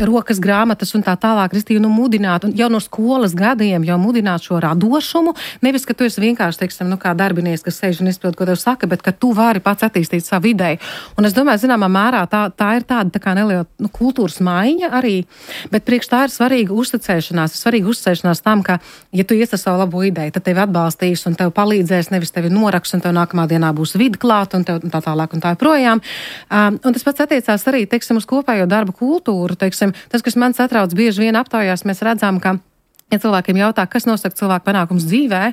rokas grāmatas un tā tālāk, restīvi, mudināt, un jau no skolas gadiem jau mudināt šo radošumu, nevis, ka tu esi vienkārši, teiksim, kā darbinieks, kas sēž un izpild, ko tev saka, bet ka tu vari pats attīstīt savu ideju. Un es domāju, zināmā mērā tā ir tāda tā kā neliela kultūras maiņa arī, bet priekš tā ir svarīga uzticēšanās tam, ka, ja tu ies ar savu labo ideju, tad tevi atbalstīs un tev palīdzēs, nevis tevi noraks, un tev nākamā dienā būs vidi klāt, un tev tā tālāk un tā projām. Un tas pats attiecās arī, teiksim, uz kopējo darba kultūru, teiksim, tas, kas man satrauc bieži vien aptaujās, mēs redzam, ka, ja cilvēkiem jautā, kas nosaka cilvēku panākums dzīvē,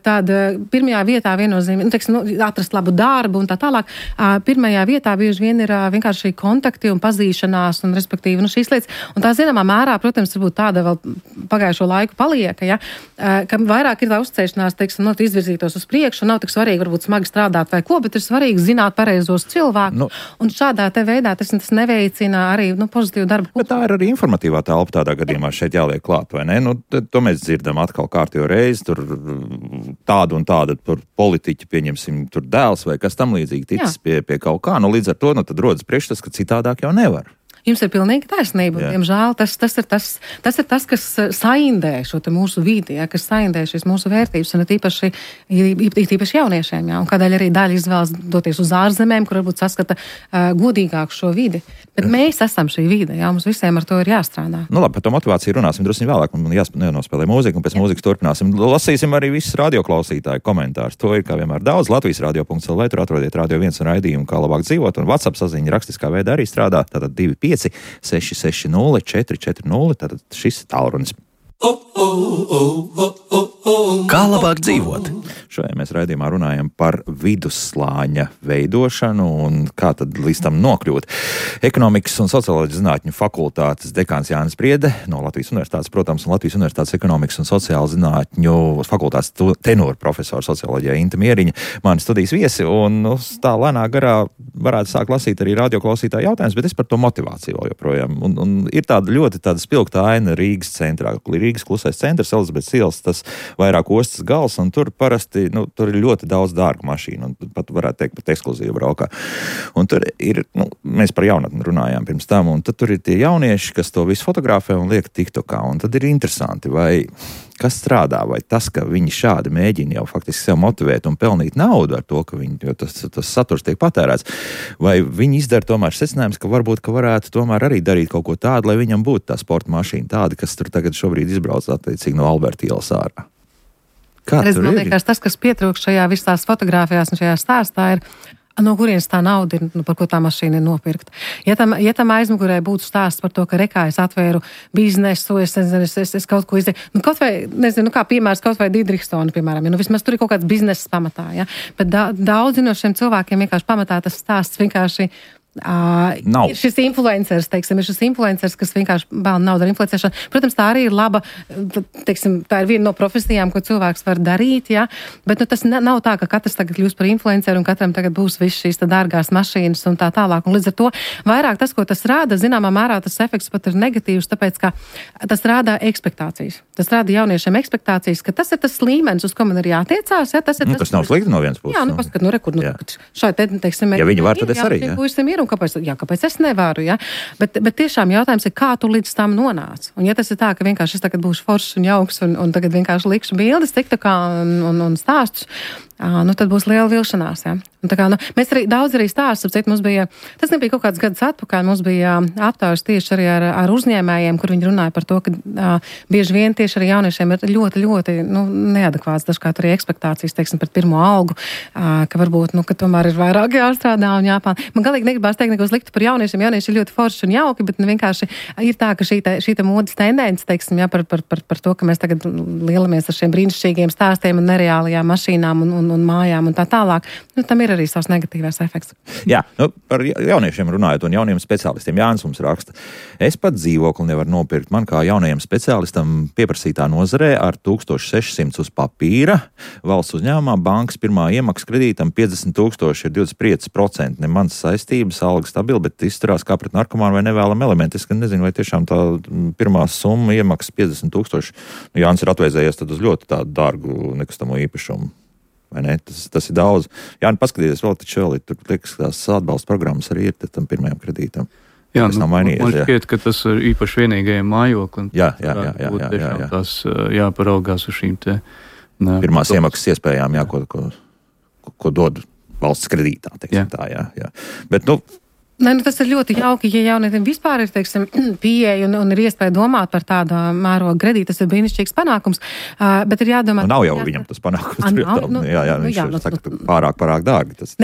tad pirmajā vietā viennozīmīgi, atrast labu darbu un tā tālāk. Pirmajā vietā bieži vien ir vienkārši kontakti un pazīšanās un respektīvi šīs lietas. Un tā zināmā mērā, protams, varbūt tāda vēl pagājušo laiku paliek, ja, ka vairāk ir tā uzticēšanās, teiksim, izvirzītos uz priekšu, un nav tik svarīgi varbūt smagi strādāt vai ko, bet ir svarīgi zināt pareizos cilvēkus. Un šādā te veidā tas neveicina arī pozitīvu darbu. Bet tā ir arī informatīvā telpa tādā gadījumā šeit jāliek klāt, vai ne? To mēs dzirdam atkal kārtējo reizi, tur tādu un tādu politiķi, pieņemsim, tur dēls vai kas tam līdzīgi ticis pie kaut kā. Līdz ar to tad rodas priekšstats, ka citādāk jau nevar. Jums ir pilnīgi taisnība. Diemžēl tas ir tas, kas saindē šo te mūsu vidi, kas saindē šīs mūsu vērtības, un īpaši jauniešiem. Un kādēļ arī daļa izvēlas doties uz ārzemēm, kur varbūt saskata godīgāku šo vidi. Bet mēs esam šī vide, mums visiem ar to ir jāstrādā. Labi, par to motivāciju runāsim drusku vēlāk. Man jānospēlē mūzika, un pēc mūzikas turpināsim. Lasīsim arī visus radioklausītāju komentārus. To ir kā vienmēr daudz. Latvijas radio.lv, tur atrodiet Radio 1 un raidījumu, kā labāk dzīvot, un WhatsApp saziņa rakstiskā veidā arī strādā. Tātad 660 440, tātad šis tālrunis. Kā labāk dzīvot? Šodien mēs raidījumā runājam par vidusslāņa veidošanu un kā tad līdz tam nokļūt. Ekonomikas un socioloģijas zinātņu fakultātes dekāns Jānis Priede no Latvijas universitātes, protams, un Latvijas universitātes ekonomikas un sociālo zinātņu fakultātes tenora profesora socioloģijā Inta Mieriņa, mani studijas viesi, un tā lēnā garā varētu sākt lasīt arī radioklausītāju jautājumus, bet es par to motivāciju vēl joprojām. Un ir tāda ļoti spilgta aina Rīgas centrā, Rīgas klusais centrs, Elizabetes ielas, tas vairāk ostas gals, un tur parasti, tur ir ļoti daudz dārgu mašīnu, un pat varētu teikt pat ekskluzīvu braukā. Un tur ir, mēs par jaunatni runājām pirms tam, un tad tur ir tie jaunieši, kas to visu fotografē un liek TikTokā, un tad ir interesanti, vai kas strādā, vai tas, ka viņi šādi mēģina jau faktiski sev motivēt un pelnīt naudu ar to, ka jo tas saturs tiek patērēts, vai viņi izdara tomēr secinājums, ka varbūt, ka varētu tomēr arī darīt kaut ko tādu, lai viņam būtu tā sporta mašīna tāda, kas tur tagad šobrīd izbrauc attiecīgi no Alberta ielas ārā. Kā tur ir? Man liekas, tas, kas pietrūkst šajā visās fotogrāfijās un šajā stāstā ir, no kurienes tā nauda ir, par ko tā mašīna ir nopirkta. Ja tam aizmugurē būtu stāsts par to, ka rekā es atvēru biznesu, es kaut ko izdarīju, kaut vai, kā piemērs, kaut vai Didrikstona, piemēram, vismaz tur ir kaut kāds bizness pamatā, ja? Bet daudzi no šiem cilvēkiem vienkārši pamatā tas stāsts vienkārši ir šis influenceris, kas vienkārši bēl naudu ar influencēšanu. Protams, tā arī ir laba, tā ir viena no profesijām, ko cilvēks var darīt, ja? Bet tas nav tā, ka katrs tagad kļūst par influenceru un katram tagad būs viss šīs dārgās mašīnas un tā tālāk. Un līdz ar to vairāk tas, ko tas rāda, zināmā mērā tas efekts pat ir negatīvs, tāpēc, ka tas rāda ekspektācijas. Tas rāda jauniešiem ekspektācijas, ka tas ir tas līmenis, uz ko man ir jātiecās. Ja? Tas nav slikti no vienas puses. Jā, paskat, rekur, šai te, ja viņi var, tad es arī. Puisim ir, var un kāpēc es nevaru, ja? Bet tiešām jautājums ir, kā tu līdz tam nonāc. Un ja tas ir tā, ka vienkārši es tagad būšu foršs un jauks un tagad vienkārši likšu bildes, TikTokā un stāstus, nu tad būs liela vilšanās, ja? Un tā kā, nu, mēs daudz stāstus, mums bija, tas nebija kaut kāds gadus atpakaļ, mums bija aptaujas tieši arī ar uzņēmējiem, kur viņi runāja par to, ka bieži vien tieši arī jauniešiem ir ļoti, ļoti, nu, neadekvāts dažkārt arī ekspektācijas, teiksim, pret pirmo algu, ka varbūt, nu, ka tomēr ir vairāk jāstrādā un jāpān. Man galīgi negribās teikt neko sliktu par jauniešiem, jaunieši ir ļoti forši un jauki, bet vienkārši ir tā, ka šī modes tendence, teiksim, ja, par to, ka mēs tagad lielamies ar šiem brīnišķīgiem stāstiem un nereālajām mašīnām un mājām un tā tālāk, nu, tam ir arī savs negatīvais efekts. Jā, nu, par jauniešiem runājot un jauniem speciālistiem. Jānis mums raksta, es pat dzīvokli nevaru nopirkt. Man kā jaunajam speciālistam pieprasītā nozarē ar 1600 uz papīra valsts uzņēmumā bankas pirmā iemaksa kredītam 50,000 ir 25%. Ne mans saistības, alga stabila, bet izturās kā pret narkomānu vai nevēlam elementu. Es nezinu, vai tiešām tā pirmā summa iemaksa 50,000. Nu, Jānis ir atvēzējies tad uz ļoti tādu dārgu nekustamo īpašumu. Vai ne? Tas ir daudz. Jā, nu paskatieties vēl, tur liekas, tās atbalsta programmas arī ir tam pirmajam kredītam. Jā, nu, man šķiet, ka tas ir īpaši vienīgajiem mājoklim. Jā. Tas jāparaugās uz šīm te... Pirmās iemaksas iespējām, jā, ko dod valsts kredītā, teiksim tā, jā. Bet, nu, Nē, nu tas ir ļoti jauki, ja jaunietiem vispār ir, teiksim, pieeja un ir iespēja domāt par tādu mērogu kredītu, tas ir brīnišķīgs panākums, bet ir jādomā... Nu, nav jau viņam tas panākums. Viņš saka, pārāk dārgi. Tas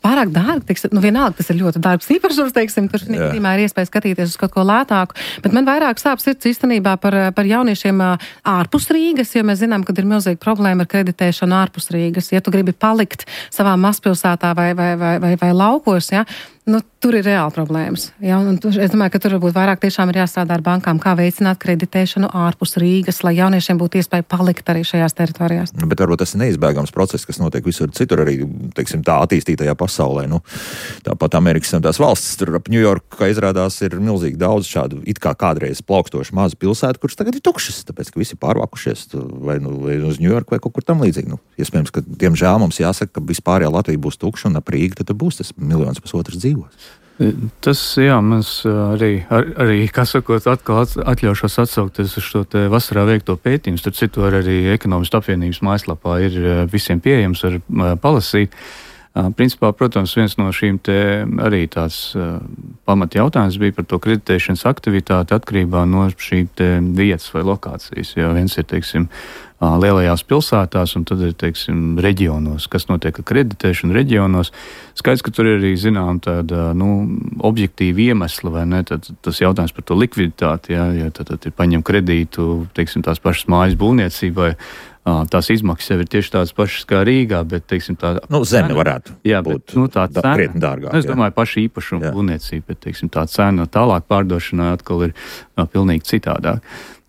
pārāk dārgi, teiksim, nu vienalga, tas ir ļoti dārgs īpašums, teiksim, tur negadījumā ir iespēja skatīties uz kaut ko lētāku, bet man vairāk sāp sirds īstenībā par jauniešiem ārpus Rīgas, jo mēs zinām, ka ir milzīga problēma ar kreditēšanu ārpus Rīgas. Ja tu gribi palikt savā mazpilsētā vai laukos, ja, nu, tur ir reāli problēmas. Ja? Es domāju, ka tur varbūt vairāk tiešām ir jāstrādā ar bankām, kā veicināt kreditēšanu ārpus Rīgas, lai jauniešiem būtu iespēja palikt arī šajās teritorijās. Bet varbūt tas ir neizbēgams process, kas notiek visur citur arī, teiksim, tā attīstītajā pasaulē. Nu, tāpat Amerikas un tās valstis, tur ap Ņujorku, kā izrādās, ir milzīgi daudz šādu it kā kādreiz plaukstošu mazu pilsētu, kuras tagad ir tukšas, tāpēc, ka visi pārvākušies vai uz Ņujorku vai kaut kur tam līdzīgi. Nu, iespējams, ka diemžēl mums jāsaka, ka vispārējā Latvija būs tukša un ap Rīgu tad būs tas 1,5 miljonu dzīvo. Tas, jā, mēs arī kā sakot, atkal atļaušos atsaukties uz šo te vasarā veikto pētījumu. Starp citu, arī Ekonomistu apvienības mājaslapā ir visiem pieejams ar palasīt. Principā, protams, viens no šīm te arī tāds pamata jautājums bija par to kreditēšanas aktivitāti atkarībā no šī te vietas vai lokācijas. Jo viens ir, teiksim, lielajās pilsētās un tad ir, teiksim, reģionos, kas notiek ar kreditēšanu reģionos. Skaidrs, ka tur ir arī, zinām, tāda, objektīva iemesla, vai ne? Tad tas jautājums par to likviditāti, jā, jo tad ir paņem kredītu, teiksim, tās pašas mājas būvniecībai. Tās izmaksas jau ir tieši tādas pašas kā Rīgā, bet, teiksim, tā... Zeme varētu būt tā cena, krietni dārgāk. Es domāju, paši īpašumu būvniecība, bet, teiksim, tā cena tālāk pārdošanā atkal ir pilnīgi citādāk.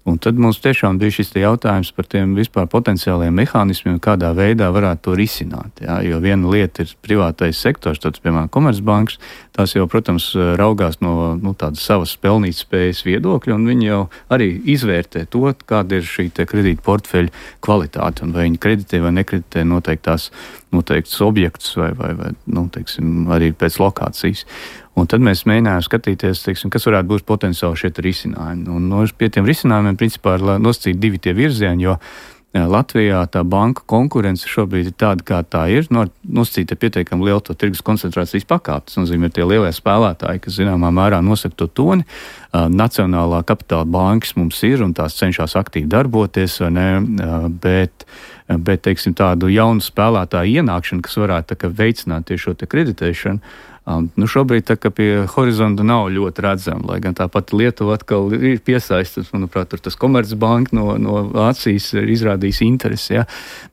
Un tad mums tiešām bija šis jautājums par tiem vispār potenciālajiem mehānismiem, kādā veidā varētu to risināt. Jā? Jo viena lieta ir privātais sektors, tāds, piemēram, Komercbankas, tās jau, protams, raugās no tādas savas pelnītspējas viedokļa, un viņi jau arī izvērtē to, kāda ir šī kredīta portfeļa kvalitāte, un vai viņi kreditē vai nekreditē noteikts objektus vai teiksim, arī pēc lokācijas. Un tad mēs mēģinājām skatīties, teiksim, kas varētu būt potenciāli šie risinājumi. Un pie tiem risinājumiem, principā, ir nosacīti divi tie virzieni, jo Latvijā tā banka konkurence šobrīd ir tāda, kā tā ir. Nosacīta pietiekami liela to tirgus koncentrācijas pakāpe. Tas nozīmē, tie lielie spēlētāji, kas zināmā mērā nosaka to toni. Nacionālā kapitāla bankas mums ir un tās cenšas aktīvi darboties, vai ne? Bet teiksim, tādu jaunu spēlētāju ienākšanu, kas varētu tā kā veicināt tieši šo te kreditēšanu, šobrīd tā kā pie horizonta nav ļoti redzama, lai gan tā pati Lietuva atkal ir piesaistīta, manuprāt, tur tas Komercbanka no Vācijas ir izrādījis interesi, ja?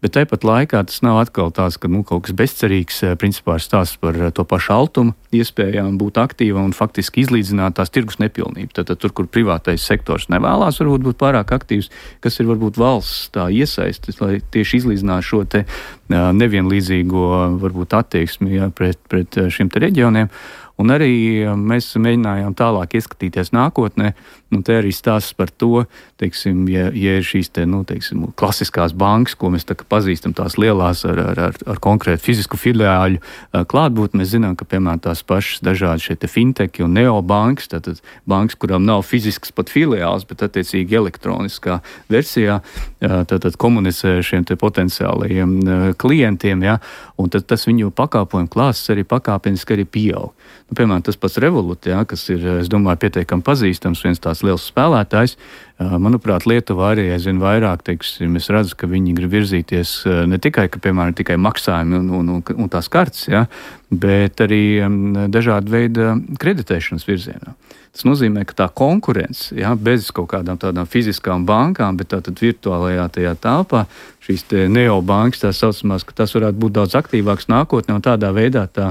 Bet tāpat laikā tas nav atkal tās, ka kaut kas bezcerīgs, principā ir stāsts par to pašu altumu iespējām būt aktīva un faktiski izlīdzināt tās tirgus nepilnību. Tātad tur, kur privātais sektors nevēlās varbūt būt pārāk aktīvs, kas ir varbūt valsts tā iesaistis, lai tieši izlīdzinātu šo te nevienlīdzīgo varbūt attieksmi, ja, pret šiem te reģioniem. Un arī mēs mēģinājām tālāk ieskatīties nākotnē, te arī stāsts par to, teiksim, ja ir šīs teiksim, klasiskās bankas, ko mēs pazīstam, tās lielās ar konkrētu fizisku filiāļu klātbūtni, mēs zinām, ka, piemēram, tās pašas dažādi šie finteki un neobankas, tātad bankas, kurām nav fizisks pat filiāls, bet attiecīgi elektroniskā versijā, tātad komunicē šiem te potenciālajiem klientiem, ja, un tad tas viņu pakalpojumu klāsts arī pakāpeniski arī pieaug. Piemēram, tas pats Revolut, ja, kas ir, es domāju, pietiekami pazīstams, viens tās liels spēlētājs. Manuprāt, Lietuva arī aizvien vairāk, teiksim, es redzu, ka viņi grib virzīties ne tikai, ka, piemēram, tikai maksājumi un tās kartes, ja, bet arī dažāda veida kreditēšanas virzienā. Tas nozīmē, ka tā konkurence, ja, bez kaut kādām tādām fiziskām bankām, bet tātad virtuālajā tajā telpā, šīs te neobankas, tā saucamās, ka tas varētu būt daudz aktīvāks nākotnē, un tādā veidā tā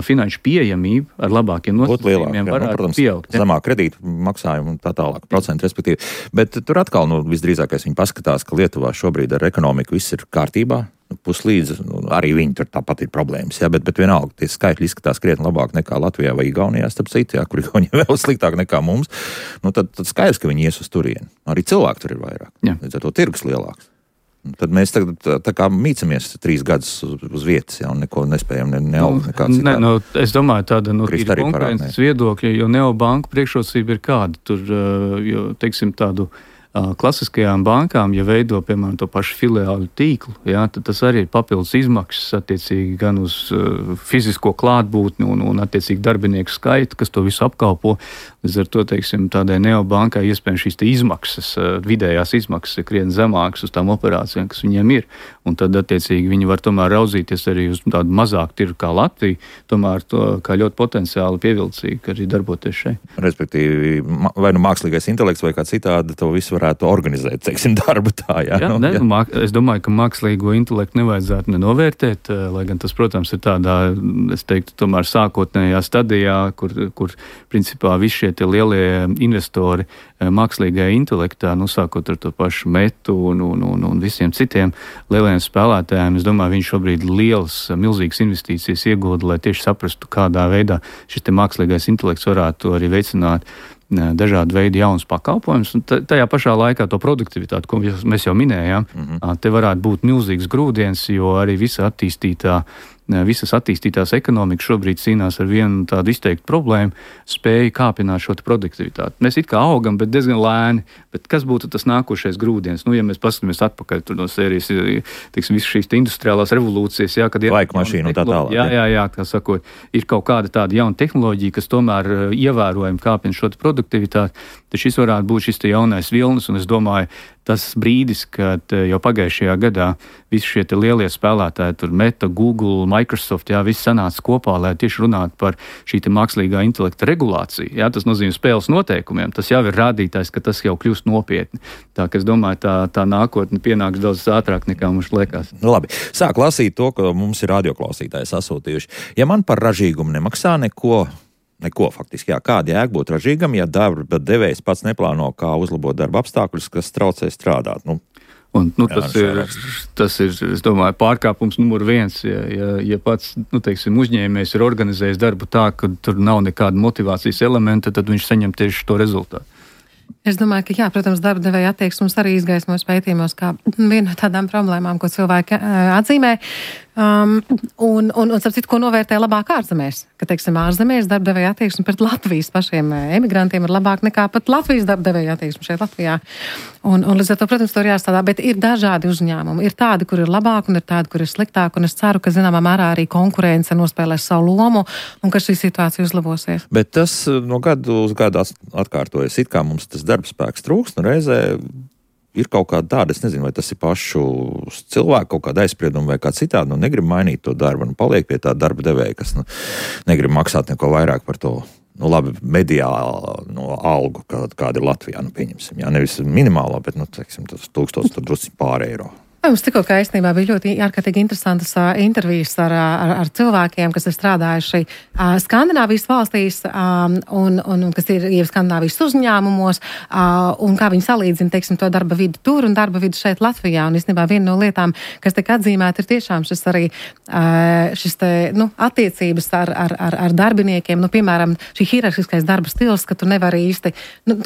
finanšu pieejamība ar labākiem nosacījumiem varētu pieaugt. Zemāk kredītu maksājumu un tā tālāk, procentu respektīvi. Bet tur atkal, visdrīzākais viņi paskatās, ka Lietuvā šobrīd ar ekonomiku viss ir kārtībā. Puslīdz, arī viņi tur tāpat ir problēmas, ja, bet vienalga tie skaitļi izskatās krietni labāk nekā Latvijā vai Igaunijā, starp citu, ja, kur Igaunijā vēl sliktāk nekā mums, tad skaidrs, ka viņi ies uz turieni. Arī cilvēku tur ir vairāk. Līdz ar to tirgus lielāks. Tad mēs tagad tā kā mīcamies 3 gadus uz vietas, ja, un neko nespējam neaugt nekāds. Es domāju, tāda ir konkurences viedokļa, jo neobanku priekšrocība ir kāda. Tur, jo, teiksim, tādu klasiskajām bankām, ja veido, piemēram, to pašu filiālu tīklu, ja, tad tas arī ir papildus izmaksas attiecīgi gan uz fizisko klātbūtni un attiecīgi darbinieku skaitu, kas to visu apkalpo. Līdz ar to, teiksim, tādai neobankai iespējams šīs izmaksas, vidējās izmaksas ir krietni zemākas uz tām operācijām, kas viņiem ir. Un tad, attiecīgi, viņi var tomēr raudzīties arī uz tādu mazāku tirgu kā Latvija, tomēr to kā ļoti potenciāli pievilcīgi arī darboties šeit. Respektīvi, vai mākslīgais intelekts vai kā citādi to visu varētu organizēt, teiksim, darbu tā, jā? Es domāju, ka mākslīgo intelektu nevajadzētu nenovērtēt, lai gan tas, protams, ir tādā, es teiktu, tomēr sākotnējā stadijā, kur principā visi šie tie lielie investori mākslīgajā intelektā, sākot ar to pašu Metu un visiem citiem lielajiem spēlētājiem, es domāju, viņi šobrīd milzīgas investīcijas iegūda, lai tieši saprastu, kādā veidā šis te mākslīgais intelekts varētu arī veicināt dažādu veidu jaunas pakalpojumus, un tajā pašā laikā to produktivitāti, ko mēs jau minējām, te varētu būt milzīgs grūdienis, jo arī visas attīstītās ekonomikas šobrīd cīnās ar vienu tādu izteiktu problēmu, spēju kāpināt šo produktivitāti. Mēs it kā augam, bet diezgan lēni, bet kas būtu tas nākošais grūdienis? Ja mēs paskatāmies atpakaļ tur no sērijas, teiksim, visas šīs industriālās revolūcijas, kad ir laika mašīna un tā tālāk. Jā, kā sakot, ir kaut kāda tāda jauna tehnoloģija, kas tomēr ievērojami kāpina šo produktivitāti, tad šis varētu būt šis jaunais vilnis, un es domāju, tas brīdis, kad jau pagājušajā gadā visi šie lielie spēlētāji, tur Meta, Google, Microsoft, visi sanāca kopā, lai tieši runātu par šī mākslīgā intelekta regulāciju. Tas nozīmē spēles noteikumiem. Tas jau ir rādītājs, ka tas jau kļūst nopietni. Tā, ka es domāju, tā nākotne pienāks daudz ātrāk nekā mums liekas. Labi, sāk lasīt to, ko mums ir radioklausītāji sasūtījuši. Ja man par ražīgumu nemaksā neko faktiski. Kāda jēga būt ražīgam, ja darba devējs pats neplāno, kā uzlabot darba apstākļus, kas traucē strādāt? Tas ir, es domāju, pārkāpums numur 1. Ja pats, teiksim, uzņēmējs ir organizējis darbu tā, ka tur nav nekāda motivācijas elementa, tad viņš saņem tieši to rezultātu. Es domāju, ka, protams, darba devēja attieksmes arī izgaismos pētījumos kā viena no tādām problēmām, ko cilvēki atzīmē. Un starp citu, ko novērtē labāk ārzemēs. Ka, teiksim, ārzemēs darba devēja attieksme pret Latvijas pašiem emigrantiem ir labāk nekā pat Latvijas darba devēja attieksme šeit Latvijā. Un līdz ar to, protams, tur jāstrādā, bet ir dažādi uzņēmumi. Ir tādi, kur ir labāk, un ir tādi, kur ir sliktāk, un es ceru, ka zināmā mērā arī konkurence nospēlēs savu lomu, un ka šī situācija uzlabosies. Bet tas no gadu uz gadu atkārtojas. It kā mums tas darbspēks trūkst, reizē ir kaut kāda tāda, es nezinu, vai tas ir pašu cilvēku kaut kāda aizsprieduma vai kā citādi, negrib mainīt to darbu, paliek pie tā darba devēja, kas negrib maksāt neko vairāk par to. Labi, mediāli algu, kāda ir Latvijā, pieņemsim. Nevis minimālā, bet, teiksim, tas 1000 tur drusci pār eiro. Mums tikko kā īstenībā bija ļoti ārkārtīgi interesantas intervijas ar cilvēkiem, kas ir strādājuši Skandināvijas valstīs un kas ir jau Skandināvijas uzņēmumos, un kā viņi salīdzina, teiksim, to darba vidu tur un darba vidu šeit Latvijā. Un īstenībā viena no lietām, kas tiek atzīmēta, ir tiešām šis arī attiecības ar darbiniekiem. Piemēram, šī hierarhiskais darba stils, ka tu nevari īsti,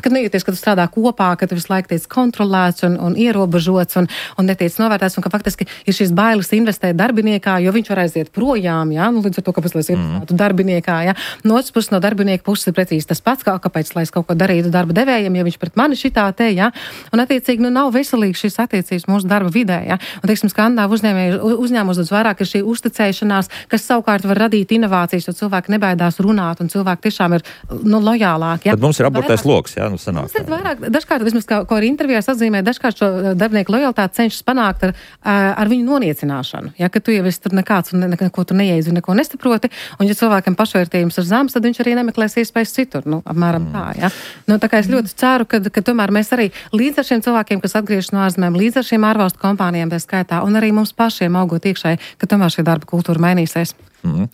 kad nejūties, ka tu strādā kopā, ka tu visu laiku tiec kontrolēts un ierobežots un netiec novērtēts, un ka faktiski ir šīs bailes investēt darbiniekā, jo viņš var aiziet projām, līdz ar to, kāpēc lai es investētu darbiniekā, No otras puses, no darbinieka puses ir precīzi tas pats, kāpēc lai es kaut ko darītu darba devējiem, ja viņš pret mani šitā te, un attiecīgi, nav veselīgi šīs attiecības mūsu darba vidē, Un, teiksim, Skandināvu uzņēmumos daudz vairāk ir šī uzticēšanās, kas savukārt var radīt inovācijas, jo cilvēki nebaidās runāt, un cilvēki tiešām ir, lojālāki, Tad mums ir aburtais loks, sanāk. Mums ir vairāk, dažkārt, vismaz, ko arī intervijās atzīmē, dažkārt šo darbinieku lojalitāti cenšas panākt ar viņu noniecināšanu. Ka tu jau esi tur nekāds un neko tu neiedzi un neko nesaproti, un ja cilvēkam pašvērtības ir zems, tad viņš arī nemeklēs iespējas citur, apmēram tā, Tā kā es ļoti ceru, ka tomēr mēs arī līdz ar šiem cilvēkiem, kas atgriežas no ārzemēm, līdz ar šiem ārvalstu kompānijām tā skaitā, un arī mums pašiem augot iekšēji, ka tomēr šī darba kultūra mainīsies.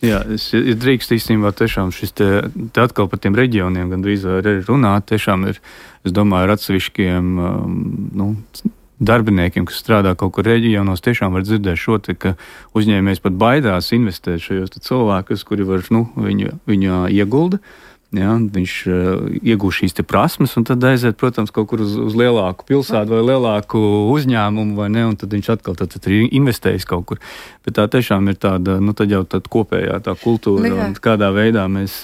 Jā, es drīkst īstenībā tiešām šis te atkal par tiem reģioniem gandrīz arī runāt, tiešām ir, es domāju, ar atsevišķiem, darbiniekiem, kas strādā kaut kur reģionos, tiešām var dzirdēt šo te, ka uzņēmējs pat baidās investēt šajos cilvēkus, kuri var, viņa iegulda, viņš iegūst šīs te prasmes, un tad aiziet, protams, kaut kur uz lielāku pilsētu vai lielāku uzņēmumu, vai ne, un tad viņš atkal tad ir investējis kaut kur. Bet tā tiešām ir tāda, tad jau tāda kopējā tā kultūra, un kādā veidā mēs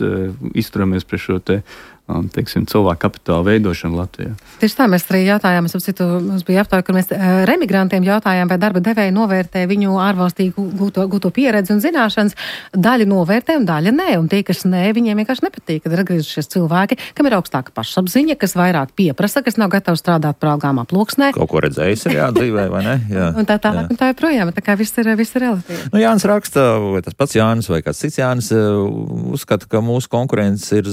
izturamies pret šo te teiksim, cilvēku kapitāla veidošanu Latvijā. Tieši tā, mēs arī jautājām, mums bija aptāja, kur mēs remigrantiem jautājām, vai darba devēji novērtē viņu ārvalstī gūto pieredzi un zināšanas. Daļa novērtē un daļa nē, un tie, kas nē, viņiem vienkārši nepatīk, kad ir atgriezušies cilvēki, kam ir augstāka pašapziņa, kas vairāk pieprasa, kas nav gatavi strādāt prāgām aploksnē. Kaut ko redzējis ir dzīvē, vai ne? Jā. Un tā tālāk, un tā joprojām, tā kā viss ir relatīvi. Jānis raksta, vai tas pats Jānis vai kāds cits Jānis uzskata, ka mūsu konkurence ir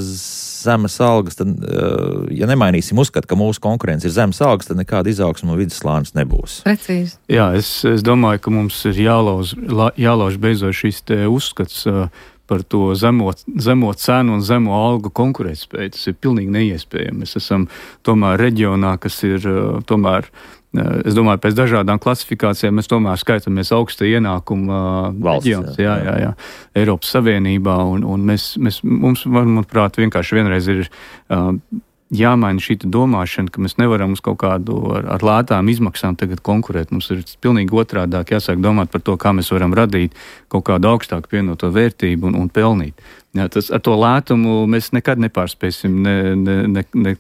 zemes algas, tad, ja nemainīsim uzskatu, ka mūsu konkurence ir zemes algas, tad nekāda izaugsma un vidusslānis nebūs. Precīzi. Jā, es domāju, ka mums ir jālauž beidzot šis te uzskats par to zemo cenu un zemo algu konkurētspēju. Tas ir pilnīgi neiespējami. Mēs esam tomēr reģionā, kas ir tomēr, es domāju, pēc dažādām klasifikācijām mēs tomēr skaitamies augsta ienākuma reģions, jā, Eiropas Savienībā, un mums, manuprāt, vienkārši vienreiz ir jāmaina šī domāšana, ka mēs nevaram uz kaut kādu ar lētām izmaksām tagad konkurēt. Mums ir pilnīgi otrādāk jāsāk domāt par to, kā mēs varam radīt kaut kādu augstāku pievienoto vērtību un pelnīt. Jā, ar to lētumu mēs nekad nepārspēsim,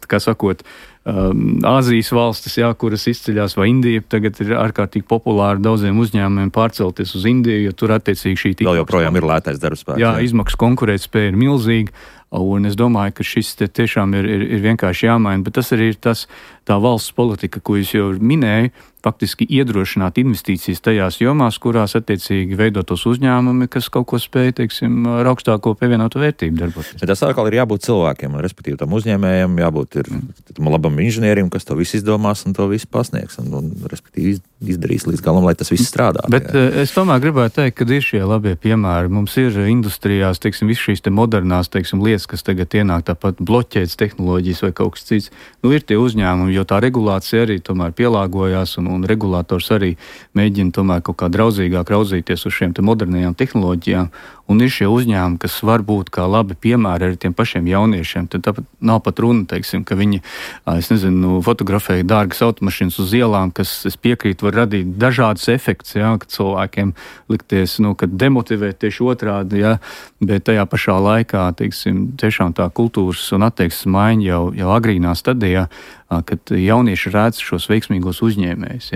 kā sakot, Āzijas valstis, kuras izceļās, vai Indija, tagad ir ārkārtīgi populāri daudziem uzņēmumiem pārcelties uz Indiju, jo tur attiecīgi šī vēl joprojām ir lētais darbspēks. Jā, izmaksu konkurētspēja ir milzīga, un es domāju, ka šis tiešām ir vienkārši jāmaina, bet tas arī ir tā valsts politika, ko es jau minēju, faktiski iedrošināt investīcijas tajās jomās, kurās attiecīgi veidotos uzņēmumi, kas kaut ko spēj, teiksim, ar augstāko pievienoto vērtību darboties. Bet tas atkal ir jābūt cilvēkiem, respektīvi tam uzņēmējiem, jābūt tam labam inženierim, kas to visu izdomās un to visu pasniegs, un respektīvi izdarīs līdz galam, lai tas viss strādā. Bet es tomēr gribētu teikt, ka ir šie labie piemēri. Mums ir industrijās, teiksim, viss šīs te modernās, teiksim, lietas, kas tagad ienāk, tāpat bloķētas tehnoloģijas vai kaut kas cits. Ir tie uzņēmumi, jo tā regulācija arī tomēr pielāgojās un regulators arī mēģina tomēr kaut kā draudzīgāk raudzīties uz šiem te modernajām tehnoloģijām. Un ir šie uzņēmumi, kas var būt kā labi piemēri arī tiem pašiem jauniešiem. Tad tāpat nav pat runa, teiksim, ka viņi, fotografēja dārgas automašīnas uz ielām, kas, es piekrītu, var radīt dažādas efekts, kad cilvēkiem likties, kad demotivēt tieši otrādi, bet tajā pašā laikā, teiksim, tiešām tā kultūras un attieksmes maiņa jau agrīnā stadijā, kad jaunieši redz šos veiksmīgos uzņēmējus.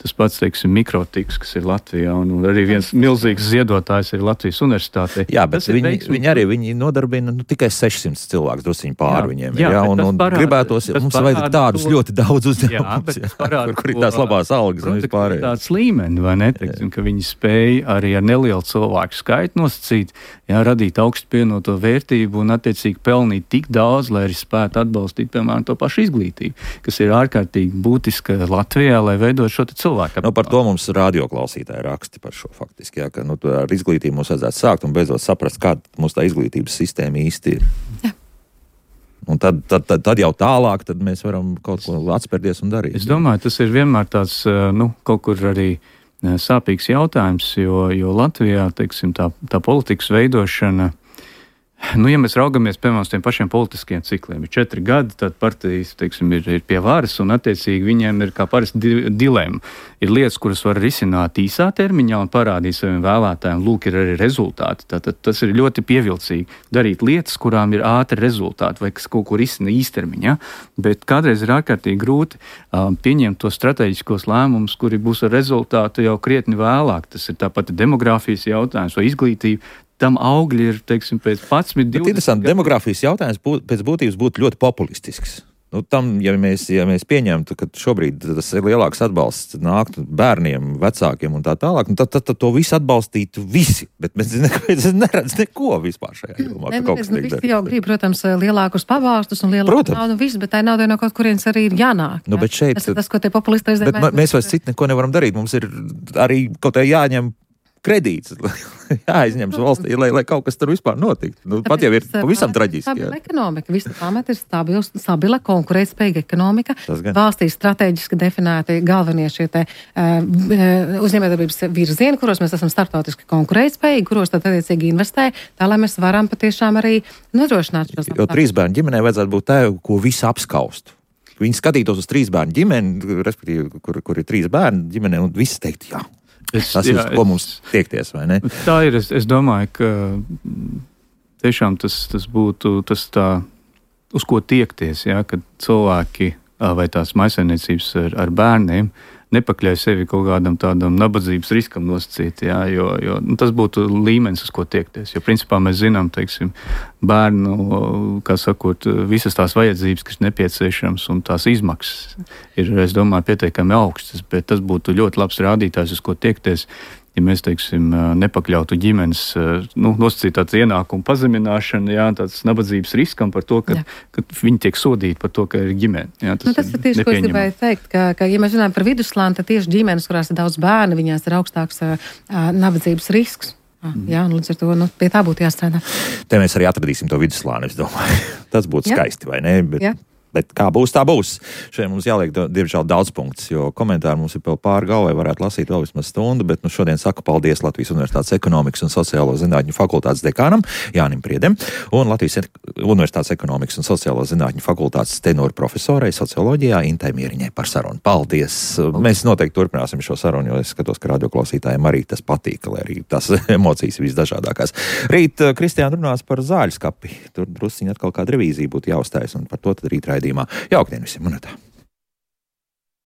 Tas pats, teiksim, Mikrotiks, kas ir Latvijā, un arī viens milzīgs ziedotājs ir Latvijas universitātē. Jā, bet viņi nodarbina tikai 600 cilvēkus, drusciņi pāri viņiem. Un gribētos, mums vajag tādus ļoti daudz uzņēmumus, kur ir tās labās algas un vispārējais. Tāds līmeni, vai ne? Teiksim, ka viņi spēja arī ar nelielu cilvēku skaitu nosacīt, radīt augstu pievienoto vērtību un attiecīgi pelnīt tik daudz, lai arī spētu atbalstīt, piemēram, to pašu izglītību. kas ir ārkārtīgi būtiska Latvijā, lai veidot šo cilvēku. Nu, par to mums radioklausītāji raksti par šo faktiski, jā, ka ar izglītību mums vajadzētu sākt un beidzot saprast, kāda mūsu tā izglītības sistēma īsti ir. Jā. Un tad jau tālāk tad mēs varam kaut ko atspērties un darīt. Es domāju, tas ir vienmēr tāds, kaut kur arī sāpīgs jautājums, jo Latvijā, teiksim, tā politikas veidošana, ja mēs raugamies, piemēram, uz tiem pašiem politiskiem cikliem, ir 4 gadi, tad partijas, teiksim, ir pie varas, un attiecīgi viņiem ir kā parasti dilemma. Ir lietas, kuras var risināt īsā termiņā un parādīt saviem vēlētājiem, lūk, ir arī rezultāti. Tātad tas ir ļoti pievilcīgi darīt lietas, kurām ir ātri rezultāti vai kas kaut ko risina īstermiņā, bet kādreiz ir ārkārtīgi grūti pieņemt tos strateģiskos lēmumus, kuri būs ar rezultātu jau krietni vēlāk. Tas ir tāpat demogrāfijas jautājums vai izglītība. Tam augļi ir, teiksim, pēc 11, 20... Bet interesanti, demogrāfijas jautājums pēc būtības būtu ļoti populistisks. Ja mēs pieņemtu, ka šobrīd tas ir lielāks atbalsts nāktu bērniem, vecākiem un tā tālāk, tad to visu atbalstītu visi. Bet mēs neredz neko vispār šajā jomā. Visi jau grib, protams, lielākus pabalstus un lielāku naudu visu, bet tā nauda no kaut kurienes arī ir jānāk. Nu, bet šeit... Tas, ko tie populisti reizēm... Bet mēs vairs citu neko nevaram darīt. Mums ir arī kaut kā jāņem kredīts, jāizņems valstī, lai kaut kas tur vispār notiktu. Pat jau ir pavisam traģiski. Stabila ekonomika, visa pamat ir stabila, konkurētspējīga ekonomika. Valstī strateģiski definēti galvenie šie te uzņēmējdarbības virzieni, kuros mēs esam starptautiski konkurētspējīgi, kuros tad attiecīgi investē, tā lai mēs varam patiešām arī nodrošināt šos. Jo 3 bērnu ģimenei vajadzētu būt tā, ko visi apskaustu. Viņi skatītos uz 3 bērnu ģimeni, respektīvi, kur ir 3 bērnu ģimene, un visi teikt, jā. Tas ir, ko mums tiekties, vai ne? Tā ir, es domāju, ka tiešām tas būtu tas tā, uz ko tiekties, jā, kad cilvēki vai tās maisaimniecības ar bērniem nepakļauj sevi kaut kādam tādam nabadzības riskam nosacīt, jā, jo tas būtu līmenis, uz ko tiekties. Jo principā mēs zinām, teiksim, bērnu, kā sakot, visas tās vajadzības, kas nepieciešams un tās izmaksas ir, es domāju, pietiekami augstas, bet tas būtu ļoti labs rādītājs, uz ko tiekties, ja mēs, teiksim, nepakļautu ģimenes, nosacīt tāds ienākumu pazemināšanu, jā, tāds nabadzības riskam par to, ka viņi tiek sodīti par to, ka ir ģimene. Jā, tas ir tieši, ko es gribēju teikt, ka ja mēs runājam par vidusslāni, tad tieši ģimenes, kurās ir daudz bērnu, viņās ir augstāks nabadzības risks. Jā, līdz ar to pie tā būtu jāstrādā. Te mēs arī atradīsim to vidusslāni, es domāju. Tas būtu skaisti, vai ne? Bet kā būs, tā būs. Šeit mums jāliek, diemžēl, daudz punktus, jo komentāri mums ir vēl pāri galvai, varētu lasīt vēl vismaz stundu, bet šodien saku paldies Latvijas Universitātes ekonomikas un sociālo zinātņu fakultātes dekānam Jānim Priedem un Latvijas Universitātes ekonomikas un sociālo zinātņu fakultātes tenoru profesorai socioloģijā Intai Mieriņai par sarunu. Paldies! Mēs noteikti turpināsim šo sarunu, jo es skatos, ka radioklausītājiem arī tas patīk, lai arī tās emocijas visdažādākās. Rīt Kristiāna runās par zāļu skapi. Tur drusciņi atkal kāda revīzija būtu jāuzstājas, un par to tad rīt raidījumā. Jauktdien visiem, un tā.